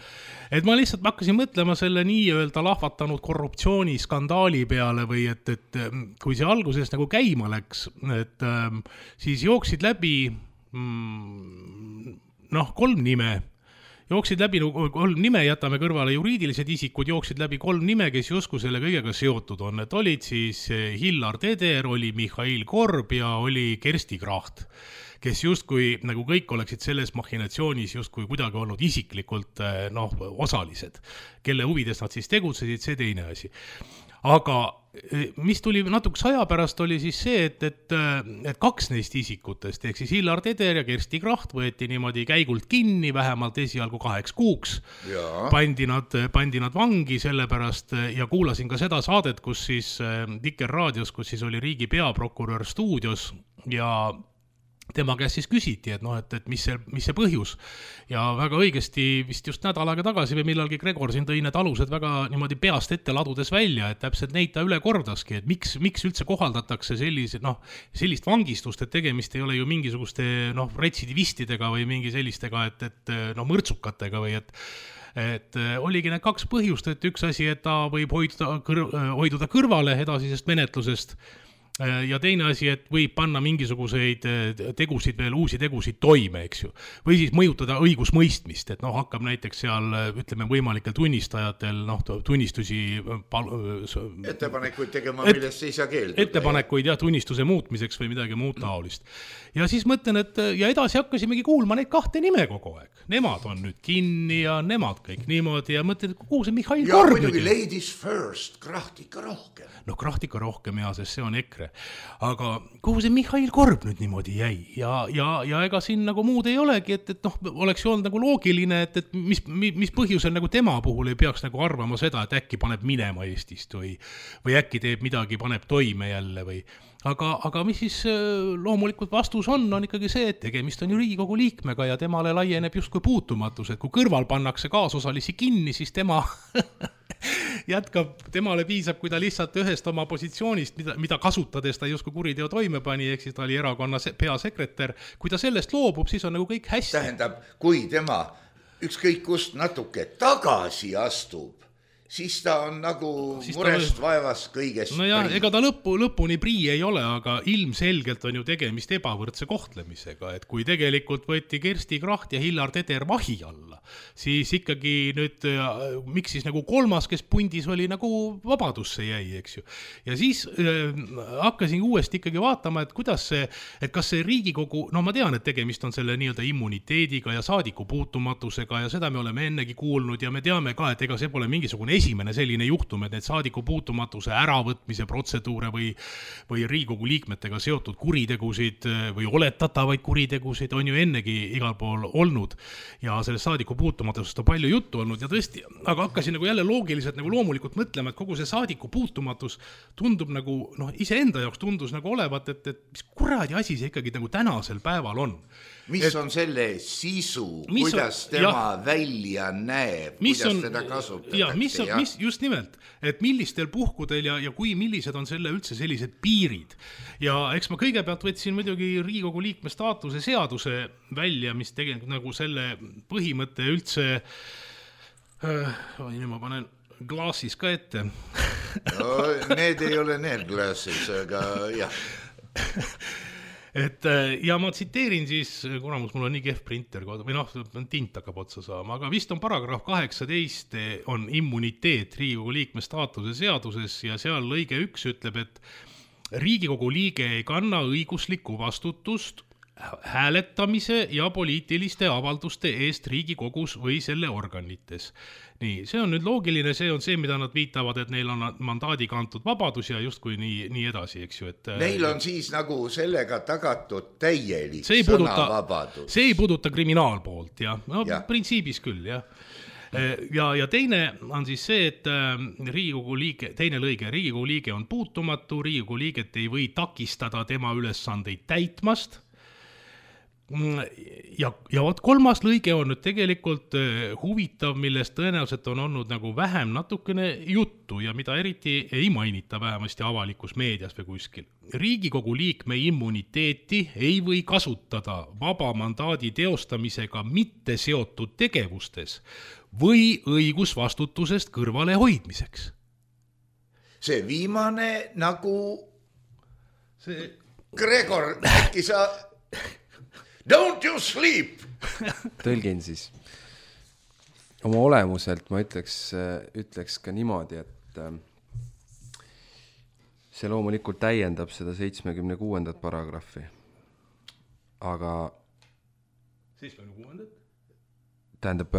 Et ma lihtsalt hakkasin mõtlema selle nii-öelda lahvatanud korruptsiooniskandaali peale või et kui see alguses nagu käima läks, et siis jooksid läbi 3 nime. Jooksid läbi 3 nime, jätame kõrvale juriidilised isikud, jooksid läbi 3 nime, kes justkui selle kõigega seotud on. Et olid siis Hillar Teder, oli Mihhail Korb ja oli Kersti Kracht, kes justkui nagu kõik oleksid selles machinatsioonis justkui kuidagi olnud isiklikult osalised, kelle huvides nad siis tegutsesid, see teine asi. Aga mis tuli natuke aja pärast oli siis see, et 2 neist isikutest, ehk siis Hillar Teder ja Kersti Kracht võeti niimoodi käigult kinni, vähemalt esialgu 8 kuuks. Pandi nad vangi sellepärast ja kuulasin ka seda saadet, kus siis Vikerraadios, kus siis oli riigi peaprokurör stuudios ja tema käest siis küsiti, et mis see põhjus. Ja väga õigesti vist just nädal aega tagasi või millalgi Gregor siin tõi need alused väga niimoodi peast ette ladudes välja, et täpselt neid ta üle kordaski, et miks üldse kohaldatakse sellist vangistust, et tegemist ei ole ju mingisuguste retsidivistidega või mingi sellistega, et mõrtsukatega või et oligi need 2 põhjust, et üks asi, et ta võib hoiduda kõrvale edasisest menetlusest ja teine asi, et võib panna mingisuguseid tegusid veel, uusi tegusid toime, eks ju. Või siis mõjutada õigusmõistmist, et hakkab näiteks seal, ütleme, võimalikel tunnistajatel, tunnistusi ettepanekuid tegema, millest ei saa keelduda. Ettepanekuid ja tunnistuse muutmiseks või midagi muud taolist. Ja siis mõtlen, et ja edasi hakkasimegi kuulma neid kahte nime kogu aeg. Nemad on nüüd kinni ja nemad kõik niimoodi ja mõtlen, et kuhu see Mihhail Korb nüüd? Ja muidugi ladies first, krahtika rohkem. Krahtika rohkem ja, sest see on EKRE. Aga kuhu see Mihhail Korb nüüd niimoodi jäi? Ja ega siin nagu muud ei olegi, et oleks ju olnud nagu loogiline, et mis põhjusel nagu tema puhul ei peaks nagu arvama seda, et äkki paneb minema Eestist või äkki teeb midagi, paneb toime jälle või... Aga mis siis loomulikult vastus on ikkagi see, et tegemist on ju Riigikogu liikmega ja temale laieneb justkui puutumatus, et kui kõrval pannakse kaasosalisi kinni, siis tema jätkab, temale piisab, kui ta lihtsalt ühest oma positsioonist, mida kasutades ta justkui kuriteo toime pani, ehk siis ta oli erakonna peasekretär, kui ta sellest loobub, siis on nagu kõik hästi. Tähendab, kui tema ükskõik kust natuke tagasi astub, siis ta on nagu murest vaevast kõigest ja, ega ta lõpuni prii ei ole, aga ilmselgelt on ju tegemist ebavõrdse kohtlemisega, et kui tegelikult võeti Kersti Kracht ja Hillar Teder vahi alla, siis ikkagi nüüd, miks siis nagu kolmas, kes pundis oli nagu vabadusse jäi, eks ju. Ja siis hakkasin uuesti ikkagi vaatama, et kuidas see, et kas see Riigikogu, ma tean, et tegemist on selle nii-öelda immuniteediga ja saadiku puutumatusega ja seda me oleme ennegi kuulnud ja me teame ka, et ega see pole mingisugune esimene selline juhtum, et need saadiku puutumatuse äravõtmise protseduure või Riigikogu liikmetega seotud kuritegusid või oletatavaid kuritegusid on ju ennegi igal pool olnud ja sellest saadiku puutumatusest on palju juttu olnud ja tõesti, aga hakkasin nagu jälle loogiliselt nagu loomulikult mõtlema, et kogu see saadiku puutumatus tundub nagu, iseenda jaoks tundus nagu olevat, et mis kuradi asi see ikkagi nagu tänasel päeval on. Mis on selle sisu, kuidas tema välja näeb, kuidas teda kasutatakse? Just nimelt, et millistel puhkudel ja kui millised on selle üldse sellised piirid. Ja eks ma kõigepealt võtsin muidugi Riigikogu liikme staatuse seaduse välja, mis tegelikult nagu selle põhimõtte üldse, nüüd ma panen glaasis ka ette. Need ei ole need glaasis, aga jah. Ja ma tsiteerin siis, kuramus, mul on nii kehv printer, või tint hakkab otsa saama, aga vist on paragrahv 18 on immuniteet Riigikogu liikme staatuse seaduses ja seal lõige 1 ütleb, et Riigikogu liige ei kanna õiguslikku vastutust hääletamise ja poliitiliste avalduste eest Riigikogus või selle organites. Nii, see on nüüd loogiline, see on see, mida nad viitavad, et neil on mandaadiga antud vabadus ja justkui nii edasi, eks ju. Neil on siis nagu sellega tagatud täielik sõnavabadus. See ei puuduta kriminaalpoolt, jah. Printsiibis küll, jah. Ja teine on siis see, et Riigikogu liige, teine lõige, Riigikogu liige on puutumatu, Riigikogu liiget ei või takistada tema ülesandeid täitmast. Ja kolmas lõige on nüüd tegelikult huvitav, millest tõenäoliselt on olnud nagu vähem natukene juttu ja mida eriti ei mainita vähemasti avalikus meedias või kuskil. Riigikogu liikme immuniteeti ei või kasutada vaba mandaadi teostamisega mitte seotud tegevustes või õigusvastutusest kõrvale hoidmiseks. See viimane nagu Gregor, äkki sa... Don't you sleep! Tõlgin siis. Oma olemuselt ma ütleks ka niimoodi, et see loomulikult täiendab seda 76. paragrahvi. Aga 76. Tähendab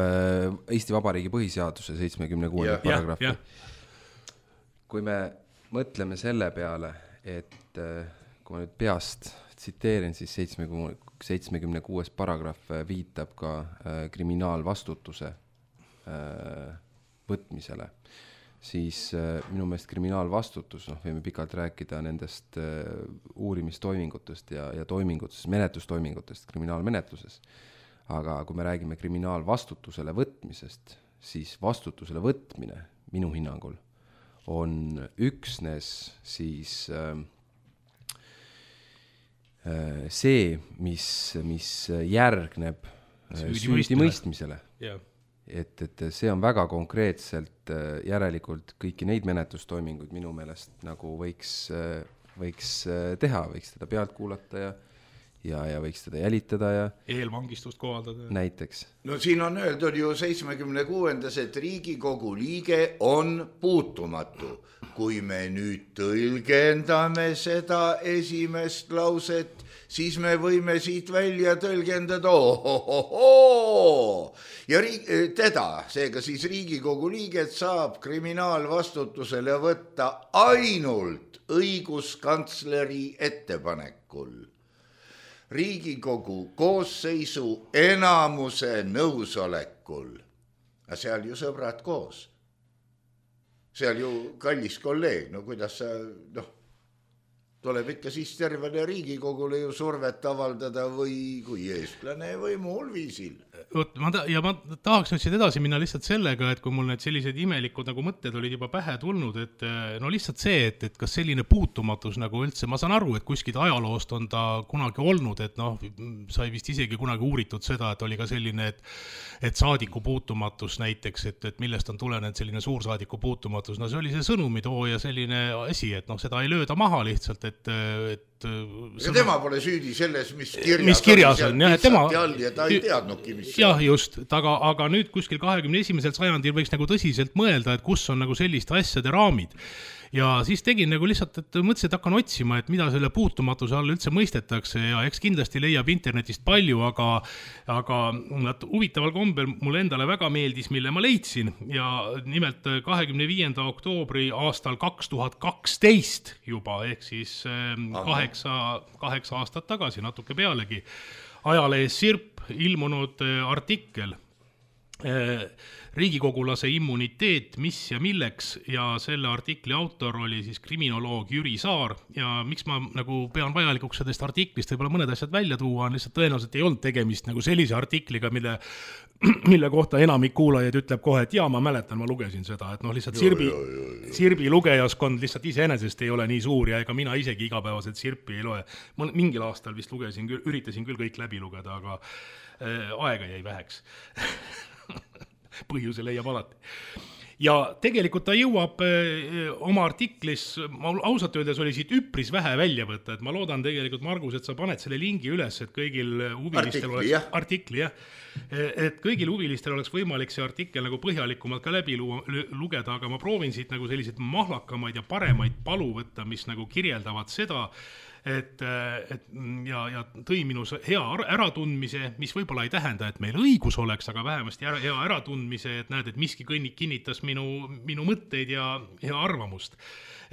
Eesti Vabariigi põhiseaduse 76. paragrahvi. Kui me mõtleme selle peale, et kui ma nüüd peast tsiteerin, siis 76. paragrahv viitab ka kriminaalvastutuse võtmisele, siis minu meelest kriminaalvastutus, võime pikalt rääkida nendest uurimistoimingutest ja toimingutest, menetlustoimingutest kriminaalmenetluses, aga kui me räägime kriminaalvastutusele võtmisest, siis vastutusele võtmine minu hinnangul on üksnes siis see, mis järgneb süüdimõistmisele. Et see on väga konkreetselt järelikult kõiki neid menetlustoiminguid minu meelest nagu võiks võiks teha, võiks teda pealt kuulata ja võiks teda jälitada ja eelvangistust kohaldada. Näiteks. No siin on öeldud ju 76. et Riigikogu liige on puutumatu. Kui me nüüd tõlgendame seda esimest lauset, siis me võime siit välja tõlgendada ja teda, seega siis Riigikogu liiget saab kriminaalvastutusele võtta ainult õiguskantsleri ettepanekul. Riigikogu koosseisu enamuse nõusolekul. Aga seal ju sõbrad koos. Seal ju kallis kolleeg, no kuidas sa, tuleb ikka siis tervele Riigikogule ju survet avaldada või kui eestlane või muul viisil. Ma tahaks nüüd siit edasi minna lihtsalt sellega, et kui mul need sellised imelikud nagu mõtted olid juba pähe tulnud, et no lihtsalt see, et kas selline puutumatus nagu üldse, ma saan aru, et kuskilt ajaloost on ta kunagi olnud, et sai vist isegi kunagi uuritud seda, et oli ka selline, et saadiku puutumatus näiteks, et millest on tulenenud selline suursaadiku puutumatus, no see oli see sõnumitoo ja selline asi, et seda ei lööda maha lihtsalt, et ja tema pole süüdi selles, mis kirjas on. Ja ta ei teadnudki, mis jah, just, aga nüüd kuskil 21. sajandil võiks nagu tõsiselt mõelda, et kus on nagu selliste asjade raamid. Ja siis tegin nagu lihtsalt, et mõtlesin, et hakkan otsima, et mida selle puutumatuse all üldse mõistetakse ja eks kindlasti leiab internetist palju, aga huvitaval kombel mulle endale väga meeldis, mille ma leidsin ja nimelt 25. oktoobri aastal 2012 juba, ehk siis 8 aastat tagasi, natuke pealegi, ajalehes Sirp ilmunud artikkel Riigikogulase immuniteet, mis ja milleks ja selle artikli autor oli siis kriminoloog Jüri Saar ja miks ma nagu pean vajalikuks sellest artiklist võib-olla mõned asjad välja tuua, on lihtsalt tõenäoliselt ei olnud tegemist nagu sellise artikliga, mille kohta enamik kuulajaid ütleb kohe, et jaa, ma mäletan, ma lugesin seda, et lihtsalt Sirbi lugejaskond lihtsalt iseenesest ei ole nii suur ja ega mina isegi igapäevaselt Sirpi ei loe. Ma mingil aastal vist üritasin küll kõik läbi lugeda, aga aega jäi väheks. Põhjuse leiab alati. Ja tegelikult ta jõuab oma artiklis, ausalt öeldes oli siit üpris vähe välja võtta, et ma loodan tegelikult, Margus, et sa paned selle lingi üles, et kõigil huvilistel artikli, et kõigil huvilistel oleks võimalik see artikkel nagu põhjalikumalt ka läbi lugeda, aga ma proovin siit nagu selliseid mahlakamaid ja paremaid palu võtta, mis nagu kirjeldavad seda, ja tõi minu hea äratundmise, mis võib-olla ei tähenda, et meil õigus oleks, aga vähemasti hea äratundmise, et näed, et miski kinnitas minu mõtteid ja arvamust.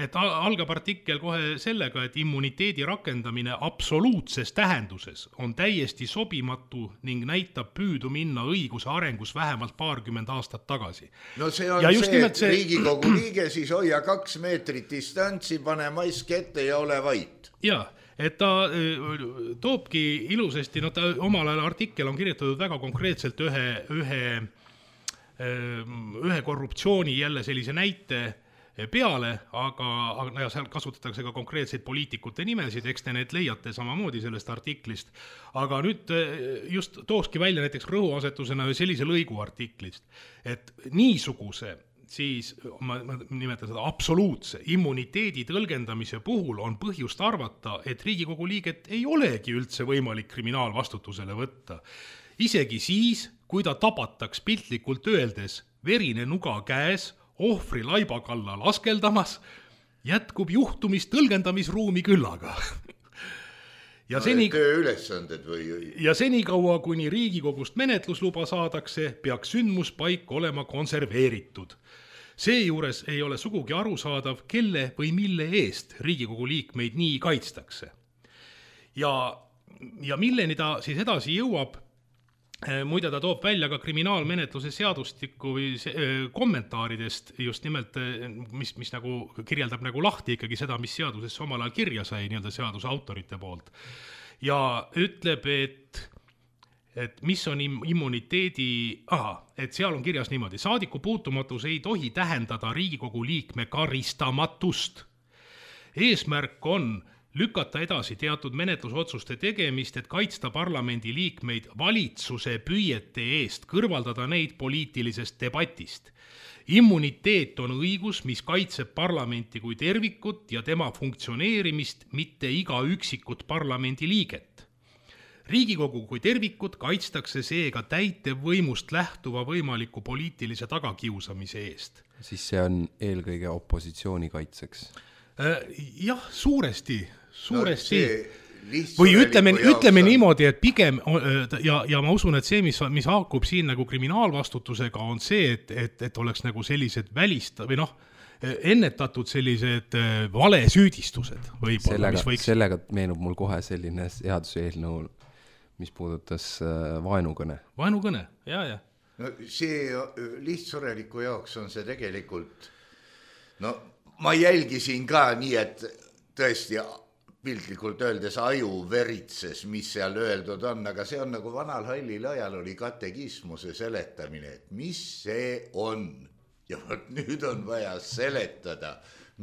Et algab artikkel kohe sellega, et immuniteedi rakendamine absoluutses tähenduses on täiesti sobimatu ning näitab püüdu minna õiguse arengus vähemalt 20 aastat tagasi. No see on see Riigikogu liige, siis hoia 2 meetrit distantsi, pane mask ette ja ole vait. Jaa, et ta toobki ilusasti, ta omal ajal artikkel on kirjutatud väga konkreetselt ühe korruptsiooni jälle sellise näite peale, aga seal kasutatakse ka konkreetseid poliitikute nimesid, eks te need leiate samamoodi sellest artiklist. Aga nüüd just tooski välja näiteks rõhuasetusena sellise lõigu artiklist, et niisuguse siis ma nimetan seda absoluutse immuniteedi tõlgendamise puhul on põhjust arvata, et Riigikogu liiget ei olegi üldse võimalik kriminaalvastutusele võtta. Isegi siis, kui ta tabataks piltlikult öeldes verine nuga käes, ohvri laiba kallal askeldamas, jätkub juhtumist tõlgendamisruumi küllaga. Ja senikaua, kuni Riigikogust menetlusluba saadakse, peaks sündmuspaik olema konserveeritud. Seejuures ei ole sugugi arusaadav, kelle või mille eest Riigikogu liikmeid nii kaitstakse. Ja milleni ta siis edasi jõuab, muide ta toob välja ka kriminaalmenetluse seadustiku või kommentaaridest just nimelt, mis nagu kirjeldab nagu lahti ikkagi seda, mis seadusesse omal ajal kirja sai nii-öelda seaduse autorite poolt. Ja ütleb, et mis on immuniteedi, et seal on kirjas niimoodi, saadiku puutumatus ei tohi tähendada Riigikogu liikme karistamatust. Eesmärk on lükata edasi teatud menetlusotsuste tegemist, et kaitsta parlamendi liikmeid valitsuse püüete eest, kõrvaldada neid poliitilisest debatist. Immuniteet on õigus, mis kaitseb parlamenti kui tervikut ja tema funktsioneerimist, mitte iga üksikut parlamendi liiget. Riigikogu kui tervikut kaitstakse seega täitevvõimust lähtuva võimaliku poliitilise tagakiusamise eest. Siis see on eelkõige opositsiooni kaitseks. Jah, suuresti. No, või ütleme niimoodi, et pigem ja ma usun, et see, mis haakub siin nagu kriminaalvastutusega, on see, et oleks nagu sellised või ennetatud sellised valesüüdistused võib-olla. Sellega meenub mul kohe selline seaduseelnõu, mis puudutas vaenukõne. Vaenukõne, ja. No see lihtsureliku jaoks on see tegelikult, ma jälgisin ka nii, et tõesti piltlikult öeldes aju veritses, mis seal öeldud on, aga see on nagu vanal hallil ajal oli katekismuse seletamine, et mis see on. Ja nüüd on vaja seletada,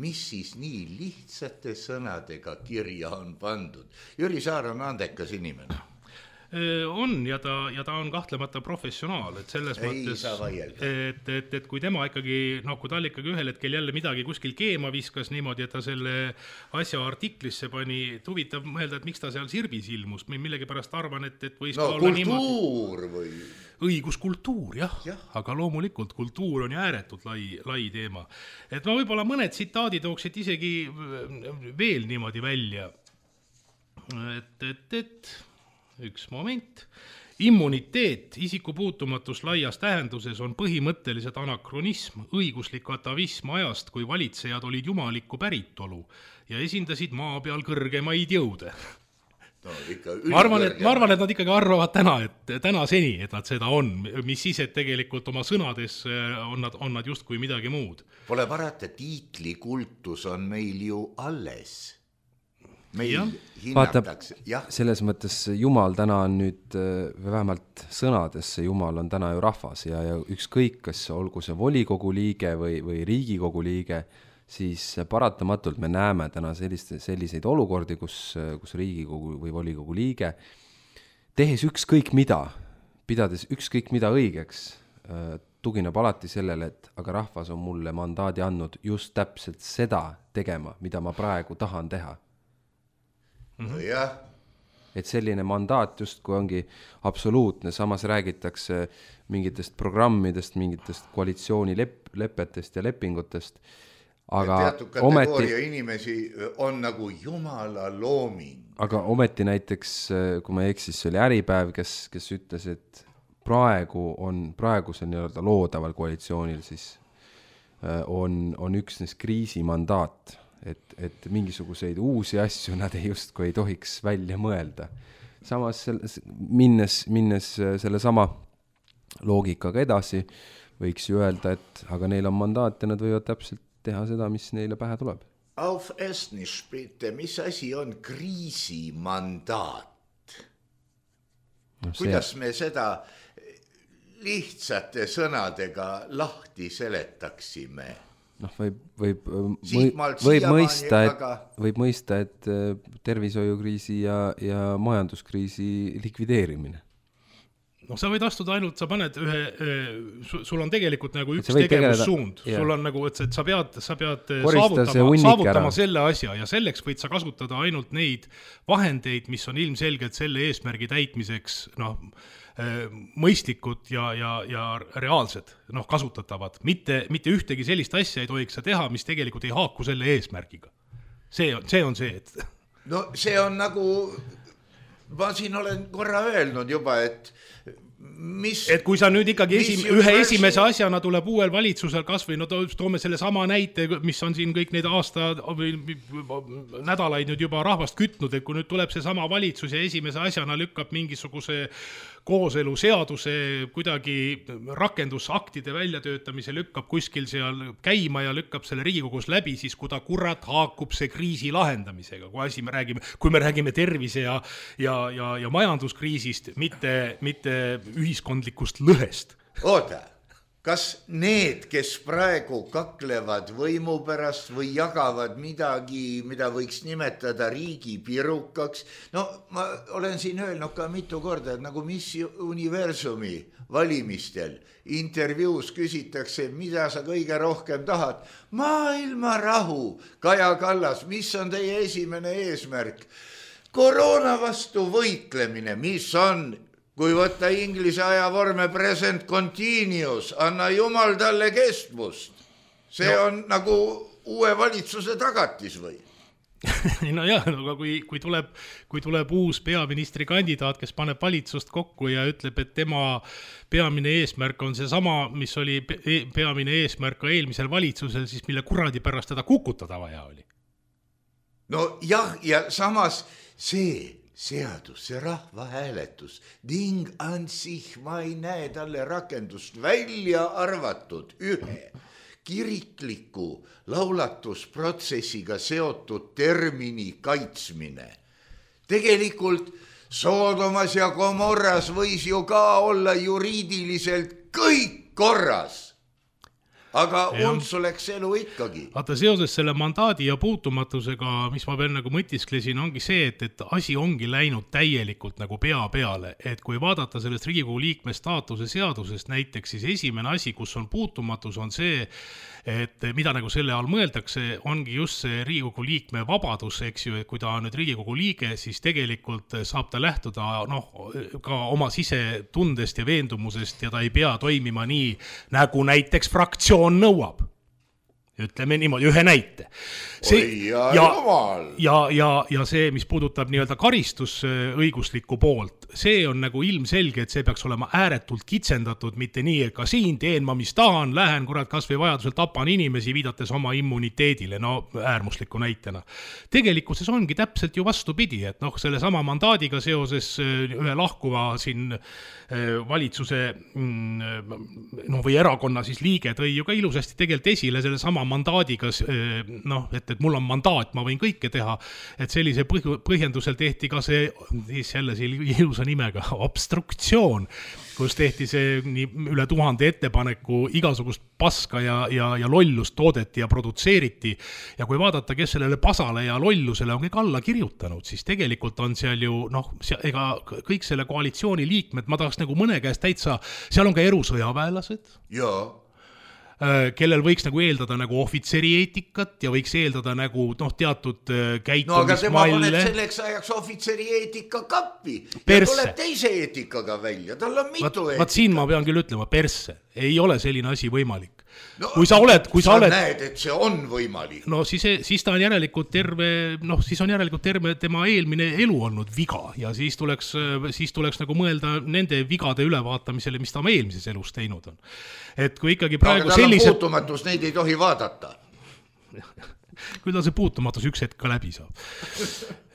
mis siis nii lihtsate sõnadega kirja on pandud. Jüri Saar on andekas inimene. On ja ta on kahtlemata professionaal, et selles mõttes, et kui tema ikkagi, kui tal ikkagi ühel hetkel jälle midagi kuskil keema viskas niimoodi, et ta selle asja artiklisse pani, huvitav mõelda, et miks ta seal Sirbis ilmus, millegi pärast arvan, et võis ka olla kultuur või? Õiguskultuur, jah, aga loomulikult kultuur on ju ääretult lai teema. Et ma võib-olla mõned tsitaadid tooksid isegi veel niimoodi välja, et üks moment. Immuniteet, isikupuutumatus laias tähenduses on põhimõtteliselt anakronism, õiguslik atavism ajast, kui valitsejad olid jumalikku päritolu ja esindasid maa peal kõrgemaid jõude. Ma arvan, et nad ikkagi arvavad tänaseni, et nad seda on, mis siis, et tegelikult oma sõnades on nad justkui midagi muud. Pole parata, tiitlikultus on meil ju alles. Meil hinnatakse. Selles mõttes Jumal täna on nüüd, vähemalt sõnades see Jumal on täna ju rahvas ja ükskõik, kas olgu see volikogu liige või Riigikogu liige, siis paratamatult me näeme täna selliseid olukordi, kus Riigikogu või volikogu liige, tehes ükskõik mida, pidades ükskõik mida õigeks, tugineb alati sellele, et aga rahvas on mulle mandaadi andnud just täpselt seda tegema, mida ma praegu tahan teha. Et selline mandaat justku ongi absoluutne, samas räägitakse mingitest programmidest, mingitest koalitsioonilepetest ja lepingutest, aga teatud kategooria inimesi on nagu Jumala looming. Aga ometi näiteks, kui ma eksis, see oli Äripäev, kes ütles, et praegusel nii-öelda loodaval koalitsioonil siis on üksnes kriisimandaat. Et mingisuguseid uusi asju nad justkui ei tohiks välja mõelda. Samas minnes selle sama loogikaga edasi, võiks ju öelda, et aga neil on mandaat ja nad võivad täpselt teha seda, mis neile pähe tuleb. Auf Estnisch bitte, mis asi on kriisimandaat? Kuidas me seda lihtsate sõnadega lahti seletaksime? Võib mõista, et tervishoiukriisi ja majanduskriisi likvideerimine. Sa võid astuda ainult, sa paned sul on tegelikult nagu üks tegevussuund. Sul on nagu, et sa pead saavutama selle asja ja selleks võid sa kasutada ainult neid vahendeid, mis on ilmselgelt selle eesmärgi täitmiseks, mõistlikud ja reaalsed, kasutatavad. Mitte ühtegi sellist asja ei tohiks sa teha, mis tegelikult ei haaku selle eesmärgiga. See on see, et... No see on nagu, ma siin olen korra öelnud juba, et kui sa nüüd ikkagi ühe esimese asjana tuleb uuel valitsusel kas või toome selle sama näite, mis on siin kõik need nädalaid nüüd juba rahvast kütnud, et kui nüüd tuleb see sama valitsus ja esimese asjana lükkab mingisuguse kooselu seaduse kuidagi rakendusaktide väljatöötamise lükkab kuskil seal käima ja lükkab selle Riigikogus läbi, siis kui ta kurat haakub see kriisi lahendamisega, kui me räägime tervise ja majanduskriisist, mitte ühiskondlikust lõhest. Oota, kas need, kes praegu kaklevad võimu pärast või jagavad midagi, mida võiks nimetada riigi pirukaks, no ma olen siin öelnud ka mitu korda, et nagu Miss Universumi valimistel intervjuus küsitakse, mida sa kõige rohkem tahad. Maailma rahu, Kaja Kallas, mis on teie esimene eesmärk? Koroona vastu võitlemine, mis on, kui võtta inglise ajavorme present continuous, anna jumal talle kestvust. See on nagu uue valitsuse tagatis või? No jah, aga kui tuleb uus peaministrikandidaat, kes paneb valitsust kokku ja ütleb, et tema peamine eesmärk on see sama, mis oli peamine eesmärk ka eelmisel valitsusel, siis mille kuradi pärast teda kukutada vaja oli? No jah, ja samas see seadus, see rahvahääletus, ding an sich, ma ei näe talle rakendust, välja arvatud ühe kirikliku laulatusprotsessiga seotud termini kaitsmine. Tegelikult Soodomas ja Gomorras võis ju ka olla juriidiliselt kõik korras. Aga untsu läks elu ikkagi. Vaata, seoses selle mandaadi ja puutumatusega, mis ma veel nagu mõtisklesin, ongi see, et asi ongi läinud täielikult nagu pea peale. Et kui vaadata sellest Riigikogu liikme staatuse seadusest näiteks, siis esimene asi, kus on puutumatus, on see, et mida nagu selle all mõeldakse, ongi just see Riigikogu liikme vabadus, eks ju, et kui ta on nüüd Riigikogu liige, siis tegelikult saab ta lähtuda ka oma sisetundest ja veendumusest ja ta ei pea toimima nii, nagu näiteks fraktsioon nõuab. Ütleme niimoodi, ühe näite. Ja see, mis puudutab nii-öelda karistusõiguslikku poolt, see on nagu ilmselge, et see peaks olema ääretult kitsendatud, mitte nii, et ka siin teen ma, mis tahan, lähen kurat kas või vajadusel tapan inimesi, viidates oma immuniteedile, no äärmusliku näitena. Tegelikkuses ongi täpselt ju vastupidi, et selle sama mandaadiga seoses ühe lahkuva siin valitsuse või erakonna siis liige tõi ju ka ilusasti tegelikult esile selle sama mandaadiga, et mul on mandaat, ma võin kõike teha, et sellise põhjendusel tehti ka see, jälle ilusa nimega, obstruktsioon, kus tehti see üle 1000 ettepaneku, igasugust paska ja lollust toodeti ja produtseeriti. Ja kui vaadata, kes sellele pasale ja lollusele on kõik alla kirjutanud, siis tegelikult on seal ju, ega kõik selle koalitsiooni liikmed, ma tahaks nagu mõne käest täitsa, seal on ka erusõjaväelased. Jaa. Kellel võiks nagu eeldada nagu ohvitseri eetikat ja võiks eeldada nagu teatud käitumismalle. No aga tema paneb selleks ajaks ohvitseri eetika kappi ja tuleb teise eetikaga välja, tal on mitu eetika. Vaat siin ma pean küll ütlema, persse, ei ole selline asi võimalik. No, kui sa oled... näed, et see on võimalik. No siis ta on järelikult terve tema eelmine elu olnud viga ja siis tuleks nagu mõelda nende vigade ülevaatamisele, mis ta oma eelmises elus teinud on. Et kui ikkagi praegu aga tal on puutumatus, neid ei tohi vaadata. Küll ta see puutumatus üks hetk ka läbi saab.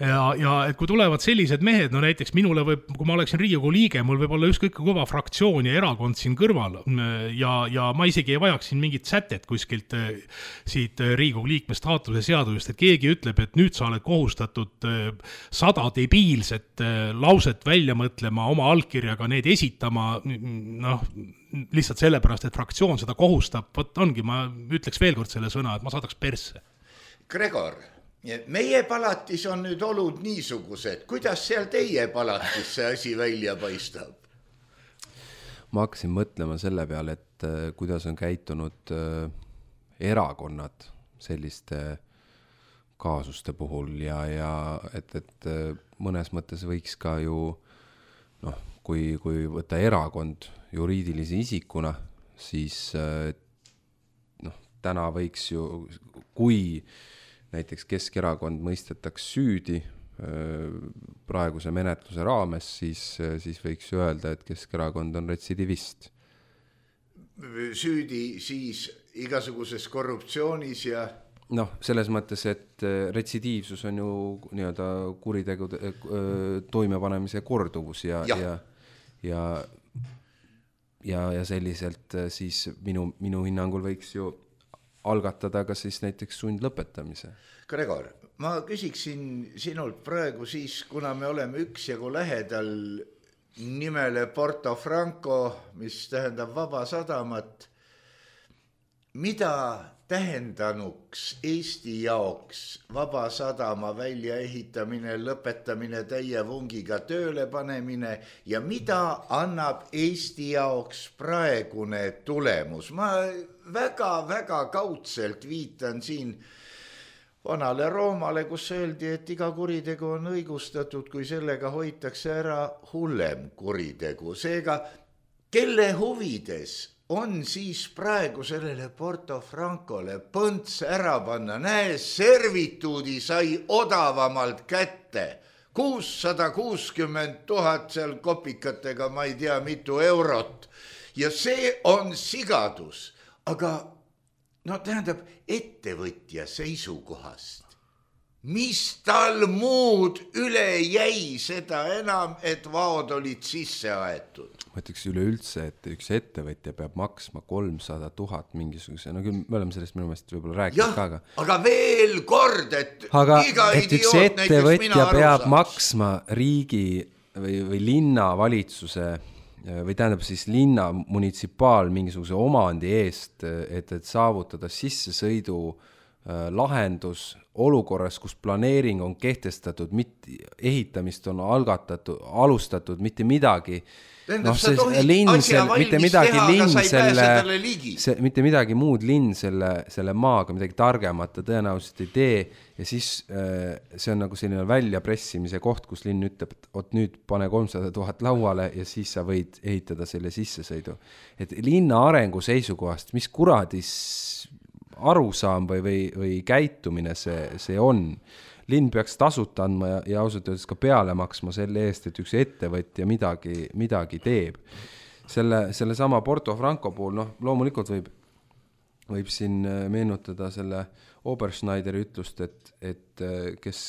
Ja et kui tulevad sellised mehed, no näiteks minule kui ma oleksin Riigikogu liige, mul võib olla ükskõik kõva fraktsioon ja erakond siin kõrval ja ma isegi ei vajaks siin mingit sätet kuskilt siit Riigikogu liikme staatuse seadusest, et keegi ütleb, et nüüd sa oled kohustatud 100 debiilset lauset välja mõtlema, oma allkirjaga need esitama, lihtsalt sellepärast, et fraktsioon seda kohustab, ongi, ma ütleks veel kord selle sõna, et ma saadaks persse. Gregor, meie palatis on nüüd olud niisugused, kuidas seal teie palatis see asi välja paistab? Ma hakkasin mõtlema selle peale, et kuidas on käitunud erakonnad selliste kaasuste puhul ja et mõnes mõttes võiks ka ju, kui võtta erakond juriidilise isikuna, siis täna võiks ju, kui näiteks Keskerakond mõistetaks süüdi praeguse menetluse raames, siis võiks ju öelda, et Keskerakond on retsidivist. Süüdi siis igasuguses korruptsioonis ja... selles mõttes, et retsidiivsus on ju nii-öelda kuritegude toimepanemise korduvus ja selliselt siis minu hinnangul võiks ju algatada ka siis näiteks sundlõpetamise. Gregor, ma küsiksin sinult praegu siis, kuna me oleme üksjagu lähedal nimele Porto Franco, mis tähendab vaba sadamat, mida tähendanuks Eesti jaoks Vabasadama väljaehitamine, lõpetamine, täie vungiga tööle panemine ja mida annab Eesti jaoks praegune tulemus. Ma väga kaudselt viitan siin vanale Roomale, kus öeldi, et iga kuritegu on õigustatud, kui sellega hoitakse ära hullem kuritegu. Seega, kelle huvides on siis praegu sellele Porto Francole põnts ära panna? Näe, servituudi sai odavamalt kätte. 660 000 seal kopikatega, ma ei tea, mitu eurot. Ja see on sigadus. Aga tähendab, ettevõtja seisukohast. Mis tal muud üle jäi, seda enam, et vaod olid sisse aetud? Ma ütleks üleüldse, et üks ettevõtja peab maksma 300 000 mingisuguse, küll me oleme sellest minu meelest võib-olla rääkinud ka. Aga veel kord, et iga et üks ettevõtja peab maksma riigi või linna valitsuse või tähendab siis linna munitsipaal mingisuguse omandi eest, et saavutada sissesõidu lahendus olukorras, kus planeering on kehtestatud, ehitamist on alustatud, mitte midagi. Mitte midagi muud linn selle maaga midagi targemata tõenäoliselt ei tee ja siis see on nagu selline väljapressimise koht, kus linn ütleb, et nüüd pane 300 000 lauale ja siis sa võid ehitada selle sissesõidu. Et linna arengu seisukohast, mis kuradis arusaam või käitumine see on. Linn peaks tasuta andma ja ausalt öeldes ka peale maksma selle eest, et üks ettevõtja midagi teeb. Selle sama Porto Franco puhul, loomulikult võib siin meenutada selle Oberschneideri ütlust, et kes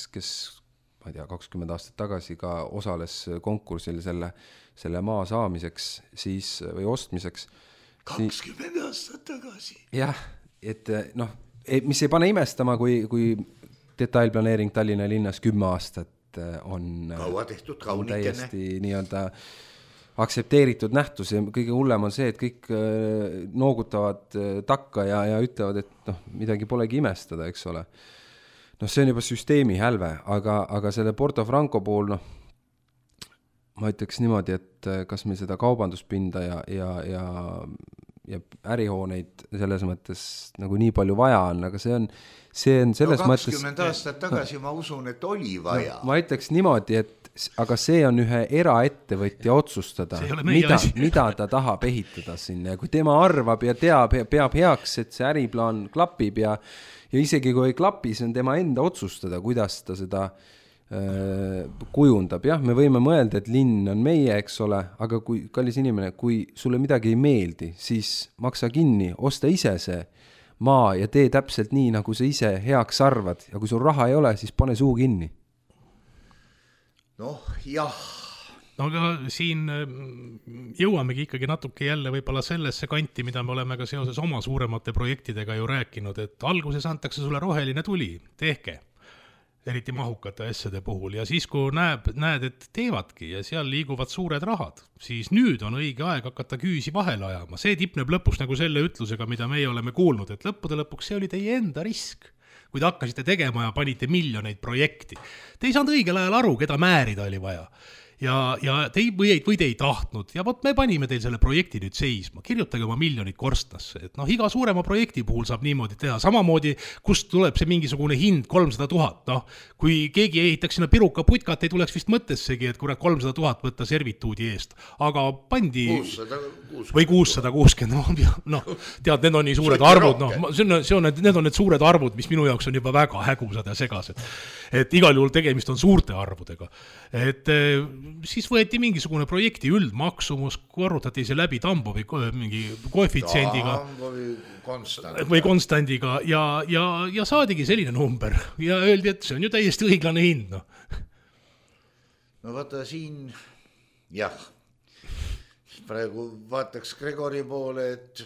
ma ei tea, 20 aastat tagasi ka osales konkursil selle maa saamiseks siis, või ostmiseks. 20 aastat tagasi? Jah, et mis ei pane imestama, kui detailplaneering Tallinna linnas 10 aastat on täiesti nii-öelda aksepteeritud nähtus ja kõige hullem on see, et kõik noogutavad takka ja ütlevad, et midagi polegi imestada, eks ole. See on juba süsteemi hälve, aga selle Porto Franco puhul, ma ütleks niimoodi, et kas meil seda kaubanduspinda ja ärihooneid selles mõttes nagu nii palju vaja on, aga see on selles 20 mõttes... 20 aastat tagasi ma usun, et oli vaja. Ma ütleks niimoodi, aga see on ühe eraettevõtja otsustada, mida ta tahab ehitada sinna. Ja kui tema arvab ja peab heaks, et see äriplaan klapib ja isegi kui ei klapi, see on tema enda otsustada, kuidas ta seda kujundab. Jah, me võime mõelda, et linn on meie, eks ole, aga kui kallis inimene, kui sulle midagi ei meeldi, siis maksa kinni, osta ise see maa ja tee täpselt nii, nagu sa ise heaks arvad. Ja kui sul raha ei ole, siis pane suu kinni. Jah. Aga siin jõuamegi ikkagi natuke jälle võibolla sellesse kanti, mida me oleme ka seoses oma suuremate projektidega ju rääkinud, et alguses antakse sulle roheline tuli, tehke. Eriti mahukate asjade puhul ja siis kui näed, et teevadki ja seal liiguvad suured rahad, siis nüüd on õige aeg hakata küüsi vahele ajama. See tipneb lõpus nagu selle ütlusega, mida meie oleme kuulnud, et lõpuks see oli teie enda risk, kui te hakkasite tegema ja panite miljoneid projekti. Te ei saanud õigel ajal aru, keda määrida oli vaja. Ja te ei tahtnud ja me panime teil selle projekti nüüd seisma, kirjutage oma miljonid korstnasse, et iga suurema projekti puhul saab niimoodi teha, samamoodi kust tuleb see mingisugune hind 300 000, kui keegi ehitaks sinna piruka putkat, ei tuleks vist mõttessegi, et 300 000 võtta servituudi eest, aga pandi 660. Või 660, tead, need on nii suured arvud, need on need suured arvud, mis minu jaoks on juba väga hägusad ja segased, et igal juhul tegemist on suurte arvudega, et siis võeti mingisugune projekti üldmaksumus, korrutati see läbi Tambovi mingi koefitsiendiga või konstandiga ja saadigi selline number ja öeldi, et see on ju täiesti õiglane hind. Vaata siin, jah, praegu vaataks Gregori poole, et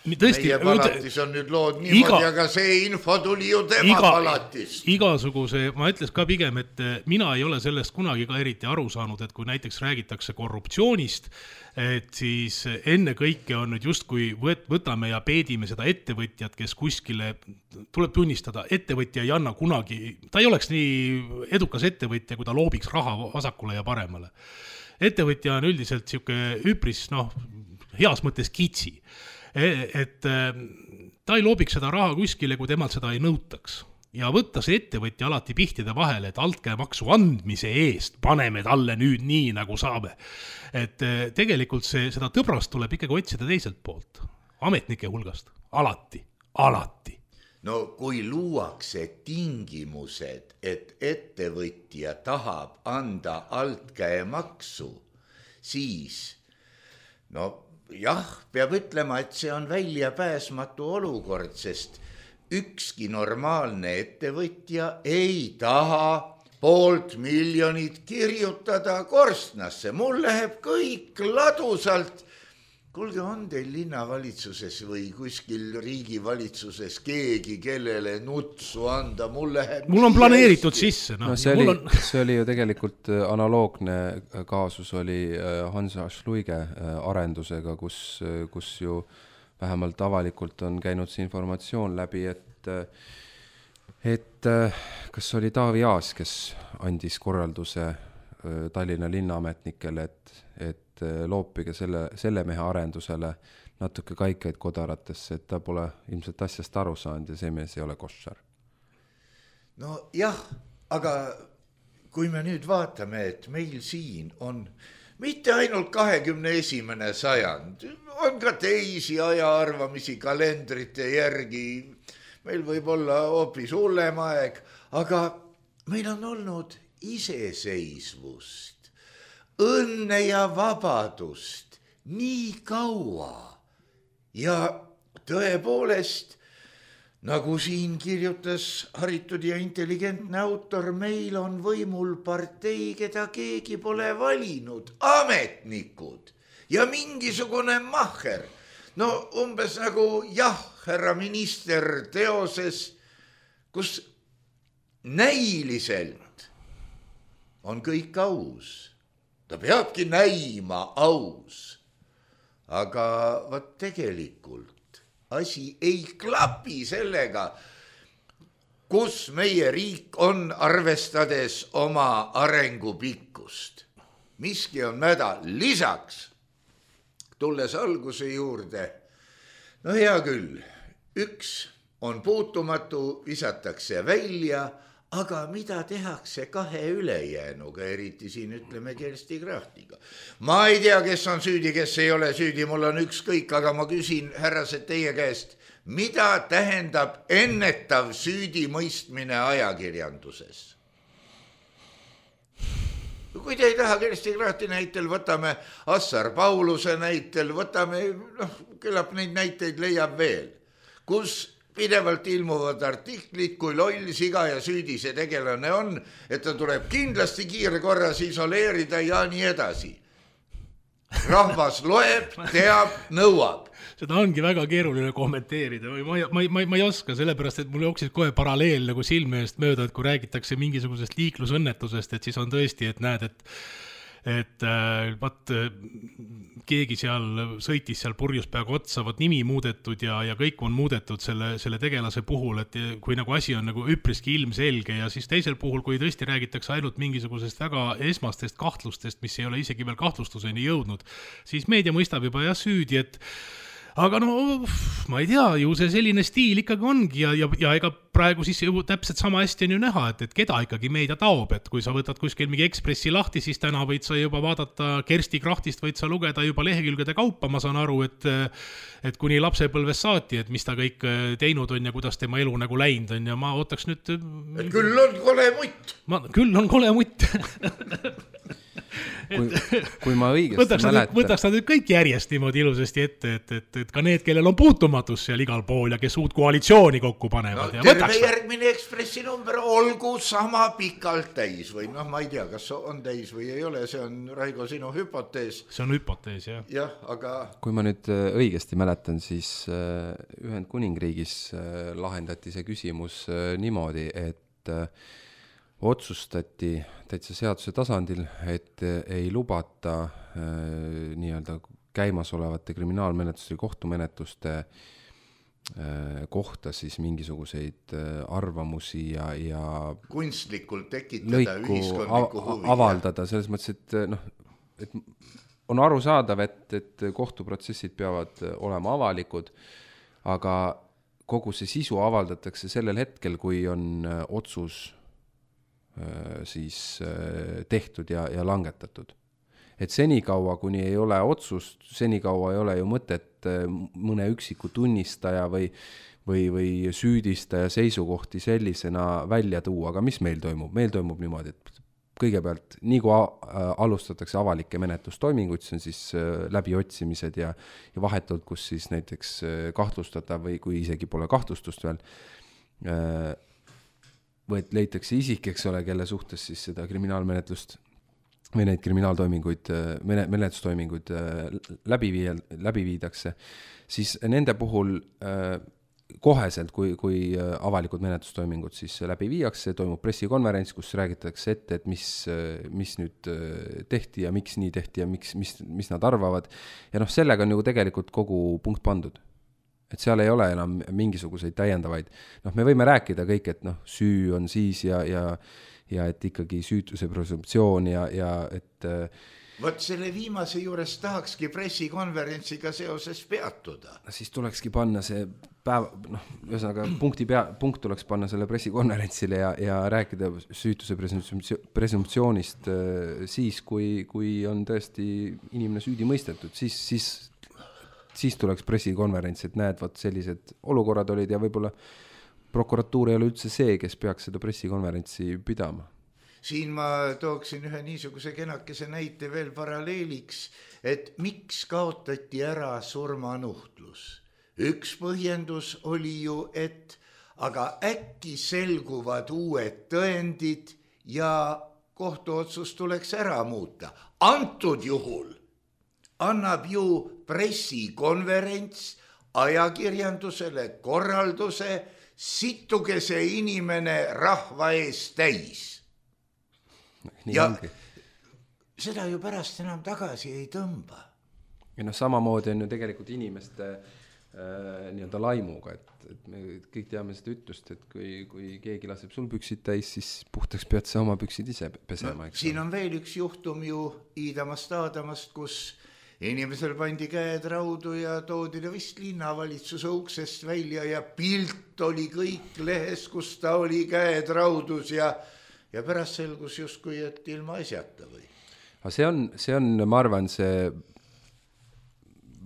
tõesti, meie palatis on nüüd lood niimoodi, aga see info tuli ju tema palatist. Igasuguse, ma ütles ka pigem, et mina ei ole sellest kunagi ka eriti aru saanud, et kui näiteks räägitakse korruptsioonist, et siis enne kõike on nüüd justkui võtame ja peedime seda ettevõtjat, kes kuskile, tuleb tunnistada, ettevõtja ei anna kunagi, ta ei oleks nii edukas ettevõtja, kui ta loobiks raha vasakule ja paremale. Ettevõtja on üldiselt siuke üpris, heas mõttes kitsi, et ta ei loobiks seda raha kuskile, kui temalt seda ei nõutaks. Ja võtta see ettevõtja alati pihtide vahele, et altkäemaksu andmise eest paneme talle nüüd nii, nagu saame. Et tegelikult seda tõbrast tuleb ikkagi otsida teiselt poolt, ametnike hulgast, alati. No kui luuakse tingimused, et ettevõtja tahab anda altkäemaksu, siis jah, peab ütlema, et see on väljapääsmatu olukord, sest ükski normaalne ettevõtja ei taha 500 000 kirjutada korstnasse. Mul läheb kõik ladusalt. Kuulge, on teil linnavalitsuses või kuskil riigivalitsuses keegi, kellele nutsu anda? Mul on planeeritud sisse. See oli ju tegelikult analoogne kaasus oli Hansa Schluige arendusega, kus ju vähemalt avalikult on käinud see informatsioon läbi, et kas oli Taavi Aas, kes andis korralduse Tallinna linnaametnikele, et loopige selle mehe arendusele natuke kaikaid kodaratesse, et ta pole ilmselt asjast aru saanud ja see mees ei ole koššar. No jah, aga kui me nüüd vaatame, et meil siin on mitte ainult 21. sajand, on ka teisi ajaarvamisi kalendrite järgi, meil võib olla hoopis hullem aeg, aga meil on olnud iseseisvust, õnne ja vabadust nii kaua ja tõepoolest, nagu siin kirjutas haritud ja intelligentne autor, meil on võimul partei, keda keegi pole valinud, ametnikud ja mingisugune mahher. No umbes nagu härra minister teoses, kus näiliselt on kõik aus. Ta peabki näima aus, aga tegelikult asi ei klapi sellega, kus meie riik on arvestades oma arengupikkust. Miski on mäda. Lisaks, tulles alguse juurde, hea küll, üks on puutumatu, visatakse välja, aga mida tehakse 2 ülejäänuga, eriti siin ütleme Kersti Krachtiga. Ma ei tea, kes on süüdi, kes ei ole süüdi, mul on ükskõik, aga ma küsin härrased teie käest, mida tähendab ennetav süüdimõistmine ajakirjanduses? Kui te ei taha Kersti Krachti näitel, võtame Assar Pauluse näitel, võtame, küllap neid näiteid leiab veel, kus pidevalt ilmuvad artiklid, kui loll, siga ja süüdi see tegelane on, et ta tuleb kindlasti kiirkorras isoleerida ja nii edasi. Rahvas loeb, teab, nõuab. Seda ongi väga keeruline kommenteerida. Ma ei oska, sellepärast, et mul jooksis kohe paralleel nagu silme eest mööda, et kui räägitakse mingisugusest liiklusõnnetusest, et siis on tõesti, et näed, et keegi seal sõitis seal purjus peaga otsa, nimi muudetud ja kõik on muudetud selle tegelase puhul, et kui nagu asi on nagu üpriski ilmselge ja siis teisel puhul, kui tõesti räägitakse ainult mingisugusest väga esmastest kahtlustest, mis ei ole isegi veel kahtlustuseni jõudnud, siis meedia mõistab juba süüdi, et aga ma ei tea, ju see selline stiil ikkagi ongi ja ega praegu siis ju täpselt sama hästi on ju näha, et keda ikkagi meedia taob, et kui sa võtad kuskil mingi Ekspressi lahti, siis täna võid sa juba vaadata Kersti Krachtist, võid sa lugeda juba lehekülgede kaupa, ma saan aru, et kuni lapsepõlves saati, et mis ta kõik teinud on ja kuidas tema elu nagu läinud on ja ma ootaks nüüd... Et küll on kole mutt. Küll on kole mutt. kui ma õigesti mäletan. Võtaks nad kõik järjest niimoodi ilusasti ette, et ka need, kellel on puutumatus seal igal pool ja kes uut koalitsiooni kokku panevad. No, terve järgmine Ekspressi number olgu sama pikalt täis või noh, ma ei tea, kas on täis või ei ole, see on Raigo sinu hüpotees. See on hüpotees, jah. Jah, aga... Kui ma nüüd õigesti mäletan, siis Ühendkuningriigis lahendati see küsimus niimoodi, et otsustati täitsa seaduse tasandil, et ei lubata nii-öelda käimasolevate kriminaalmenetluste ja kohtumenetluste kohta siis mingisuguseid arvamusi ja kunstlikult tekitada ühiskondlikku huvi. Avaldada, selles mõttes, et on arusaadav, et kohtuprotsessid peavad olema avalikud, aga kogu see sisu avaldatakse sellel hetkel, kui on otsus siis tehtud ja langetatud. Et senikaua, kuni ei ole otsust, senikaua ei ole ju mõtet mõne üksiku tunnistaja või süüdistaja seisukohti sellisena välja tuua, aga mis meil toimub? Meil toimub niimoodi, et kõigepealt nii kui alustatakse avalikke menetlustoiminguid, see on siis läbiotsimised ja vahetult, kus siis näiteks kahtlustatav või kui isegi pole kahtlustust veel, või et leitakse isik, eks ole, kelle suhtes siis seda kriminaalmenetlust või neid kriminaaltoiminguid, menetlustoiminguid läbi viidakse, siis nende puhul koheselt, kui avalikud menetlustoimingud siis läbi viiakse, toimub pressikonverents, kus räägitakse ette, et mis nüüd tehti ja miks nii tehti ja mis nad arvavad. Ja sellega on ju tegelikult kogu punkt pandud. Et seal ei ole enam mingisuguseid täiendavaid. Me võime rääkida kõik, et süü on siis ja et ikkagi süütuse presumptsioon ja et... Võt selle viimase juures tahakski pressikonverentsiga seoses peatuda. Siis tulekski panna see päev, ühesõnaga punkt tuleks panna selle pressikonverentsile ja rääkida süütuse presumptsioonist siis, kui on tõesti inimene süüdi mõistetud, siis tuleks pressikonverents, et näed, sellised olukorrad olid ja võib-olla prokuratuur ei ole üldse see, kes peaks seda pressikonverentsi pidama. Siin ma tooksin ühe niisuguse kenakese näite veel paralleeliks, et miks kaotati ära surmanuhtlus. Üks põhjendus oli ju, et aga äkki selguvad uued tõendid ja kohtuotsus tuleks ära muuta. Antud juhul annab ju pressikonverents ajakirjandusele korralduse, situge see inimene rahva ees täis. Ja seda ju pärast enam tagasi ei tõmba. Ja samamoodi on ju tegelikult inimeste nii-öelda laimuga, et me kõik teame seda ütlust, et kui keegi laseb sul püksid täis, siis puhtaks pead sa oma püksid ise pesema. Siin on veel üks juhtum ju Iidamast, kus inimesel pandi käed raudu ja toodi ta vist linnavalitsuse uksest välja ja pilt oli kõik lehes, kus ta oli käed raudus ja pärast selgus justkui, et ilma asjata või. See on, ma arvan, see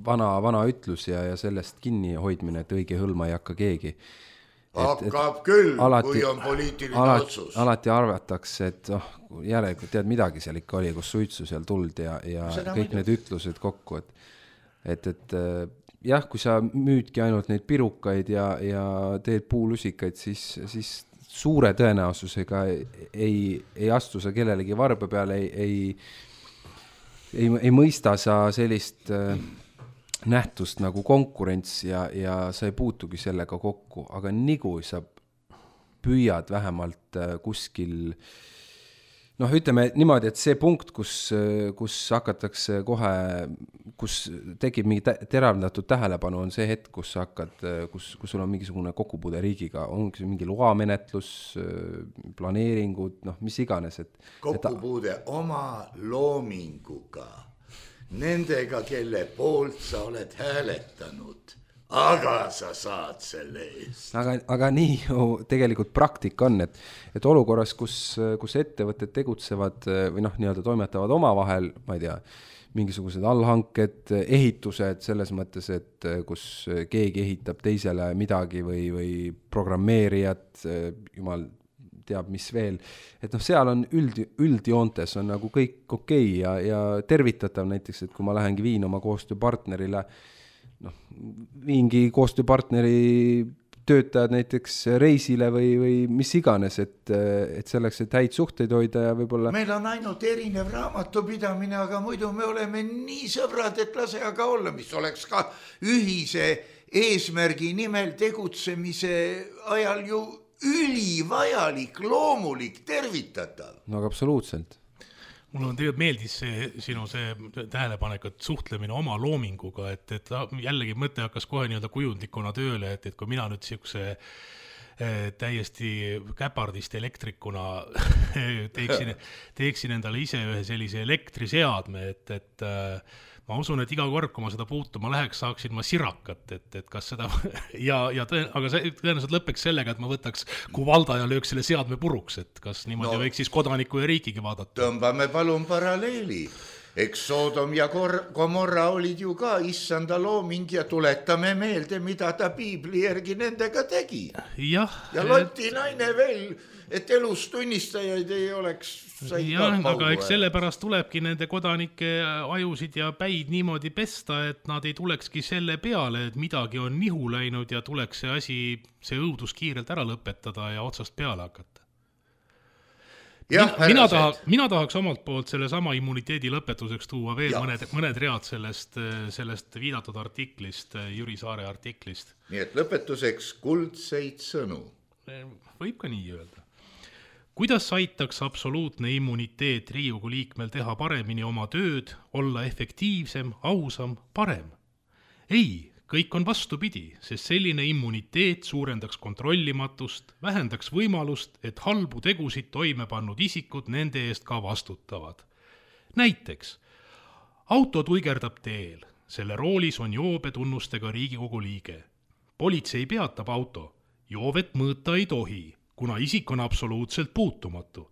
vana ütlus ja sellest kinni hoidmine, et õige hõlma ei hakka keegi. Hakkab küll, kui on poliitiline otsus. Alati arvatakse, et järelikult tead midagi seal ikka oli, kus suitsu seal tuld ja kõik need ütlused kokku. Et jah, kui sa müüdki ainult neid pirukaid ja teed puulusikaid, siis suure tõenäosusega ei astu sa kellelegi varba peale, ei mõista sa sellist nähtust nagu konkurents ja sa ei puutugi sellega kokku, aga nigu sa püüad vähemalt kuskil, ütleme niimoodi, et see punkt, kus hakatakse kohe, kus tekib mingi teravdatud tähelepanu, on see hetk, kus sul on mingisugune kokkupuude riigiga, on mingi loamenetlus, planeeringud, mis iganes. Kokkupuude oma loominguga. Nendega, kelle poolt sa oled hääletanud, aga sa saad selle eest. Aga nii ju tegelikult praktika on, et olukorras, kus ettevõtted tegutsevad või nii-öelda toimetavad omavahel, ma ei tea, mingisugused allhanked, ehitused selles mõttes, et kus keegi ehitab teisele midagi või programmeerijad, jumal teab mis veel, et seal on üldjoontes on nagu kõik okei ja tervitatav näiteks, et kui ma lähengi viin oma koostööpartnerile, viingi koostööpartneri töötajad näiteks reisile või mis iganes, et selleks, et häid suhteid hoida ja võib-olla... Meil on ainult erinev raamatupidamine, aga muidu me oleme nii sõbrad, et lase aga olla, mis oleks ka ühise eesmärgi nimel tegutsemise ajal ju ülivajalik, loomulik, tervitatav. No aga absoluutselt. Mul on tegelikult meeldis sinu tähelepanek, et suhtlemine oma loominguga, et jällegi mõte hakkas kohe nii-öelda kujundlikuna tööle, et kui mina nüüd siukse täiesti käpardist elektrikuna teeksin endale ise ühe sellise elektriseadme, et ma usun, et iga kord, kui ma seda puutuma läheks, saaksin ma sirakat, et kas seda aga see tõenäoliselt lõpeks sellega, et ma võtaks kuvalda ja lööks selle seadme puruks, et kas niimoodi võiks siis kodaniku ja riikigi vaadata. Tõmbame palun paralleeli. Eks Soodom ja Gomorra olid ju ka issanda looming ja tuletame meelde, mida ta piibli järgi nendega tegi. Ja Loti naine veel, et elus tunnistajaid ei oleks. Aga eks sellepärast tulebki nende kodanike ajusid ja päid niimoodi pesta, et nad ei tulekski selle peale, et midagi on nihu läinud ja tuleks see õudus kiirelt ära lõpetada ja otsast peale hakata. Mina tahaks omalt poolt selle sama immuniteedi lõpetuseks tuua veel mõned read sellest viidatud artiklist, Jüri Saare artiklist. Nii et lõpetuseks kuldseid sõnu. Võib ka nii öelda. Kuidas aitaks absoluutne immuniteet Riigikogu liikmel teha paremini oma tööd, olla efektiivsem, ausam, parem? Ei, kõik on vastupidi, sest selline immuniteet suurendaks kontrollimatust, vähendaks võimalust, et halbu tegusid toime pannud isikud nende eest ka vastutavad. Näiteks, auto tuigerdab teel, selle roolis on joobe tunnustega Riigikogu liige. Politsei peatab auto, joovet mõõta ei tohi, kuna isik on absoluutselt puutumatu.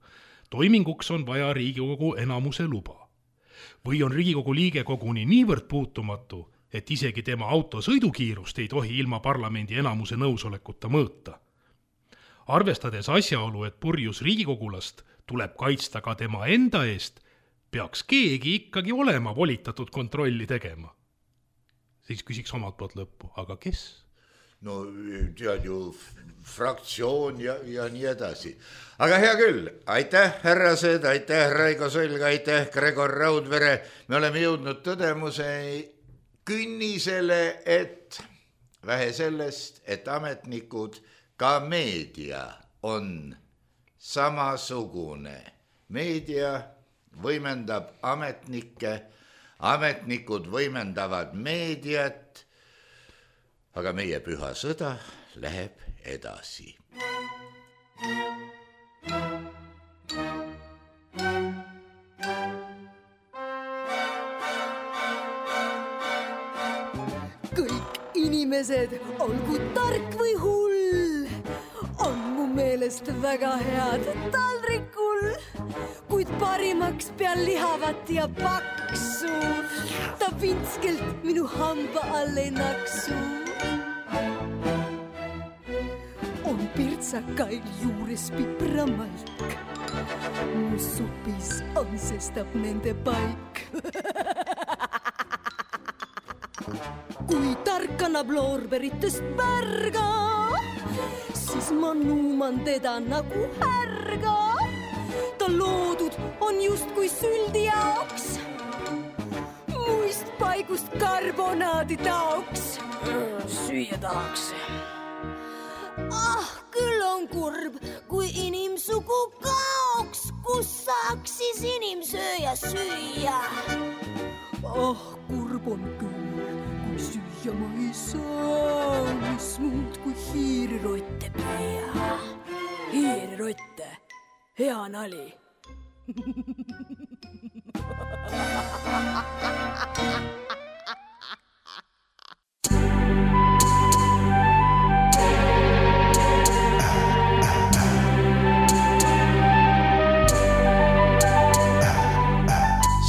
Toiminguks on vaja Riigikogu enamuse luba. Või on Riigikogu liige koguni niivõrd puutumatu, et isegi tema auto sõidukiirust ei tohi ilma parlamendi enamuse nõusolekuta mõõta. Arvestades asjaolu, et purjus riigikogulast tuleb kaitsta ka tema enda eest, peaks keegi ikkagi olema volitatud kontrolli tegema. Siis küsiks omalt poolt lõppu, aga kes? No tead ju fraktsioon ja nii edasi. Aga hea küll, aitäh härrased, aitäh Raigo Sõlg, aitäh Gregor Raudvere. Me oleme jõudnud tõdemuse künnisele, et vähe sellest, et ametnikud, ka meedia on samasugune. Meedia võimendab ametnikke, ametnikud võimendavad meediat, aga meie püha sõda läheb edasi. Inimesed, olgu tark või hull, on mu meelest väga head taldrikul, kuid parimaks peal lihavat ja paksu, ta vintskelt minu hamba all ei naksu. On pirtsakail juures pipramaik, mu supis on sestap nende paik. Kui tark annab loorberitest pärga, siis ma nuuman teda nagu härga. Ta loodud on just kui süldi jaoks, muist paigust karbonaadi taoks. Süüa tahaks. Küll on kurb, kui inimsugu kaoks, kus saaks siis inimsööja süüa. Kurb on küll. Ja ma ei saa, mis muud kui hiirirotte püüa. Hiirirotte, hea nali.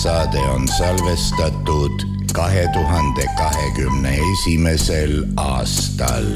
Saade on salvestatud 2021. aastal.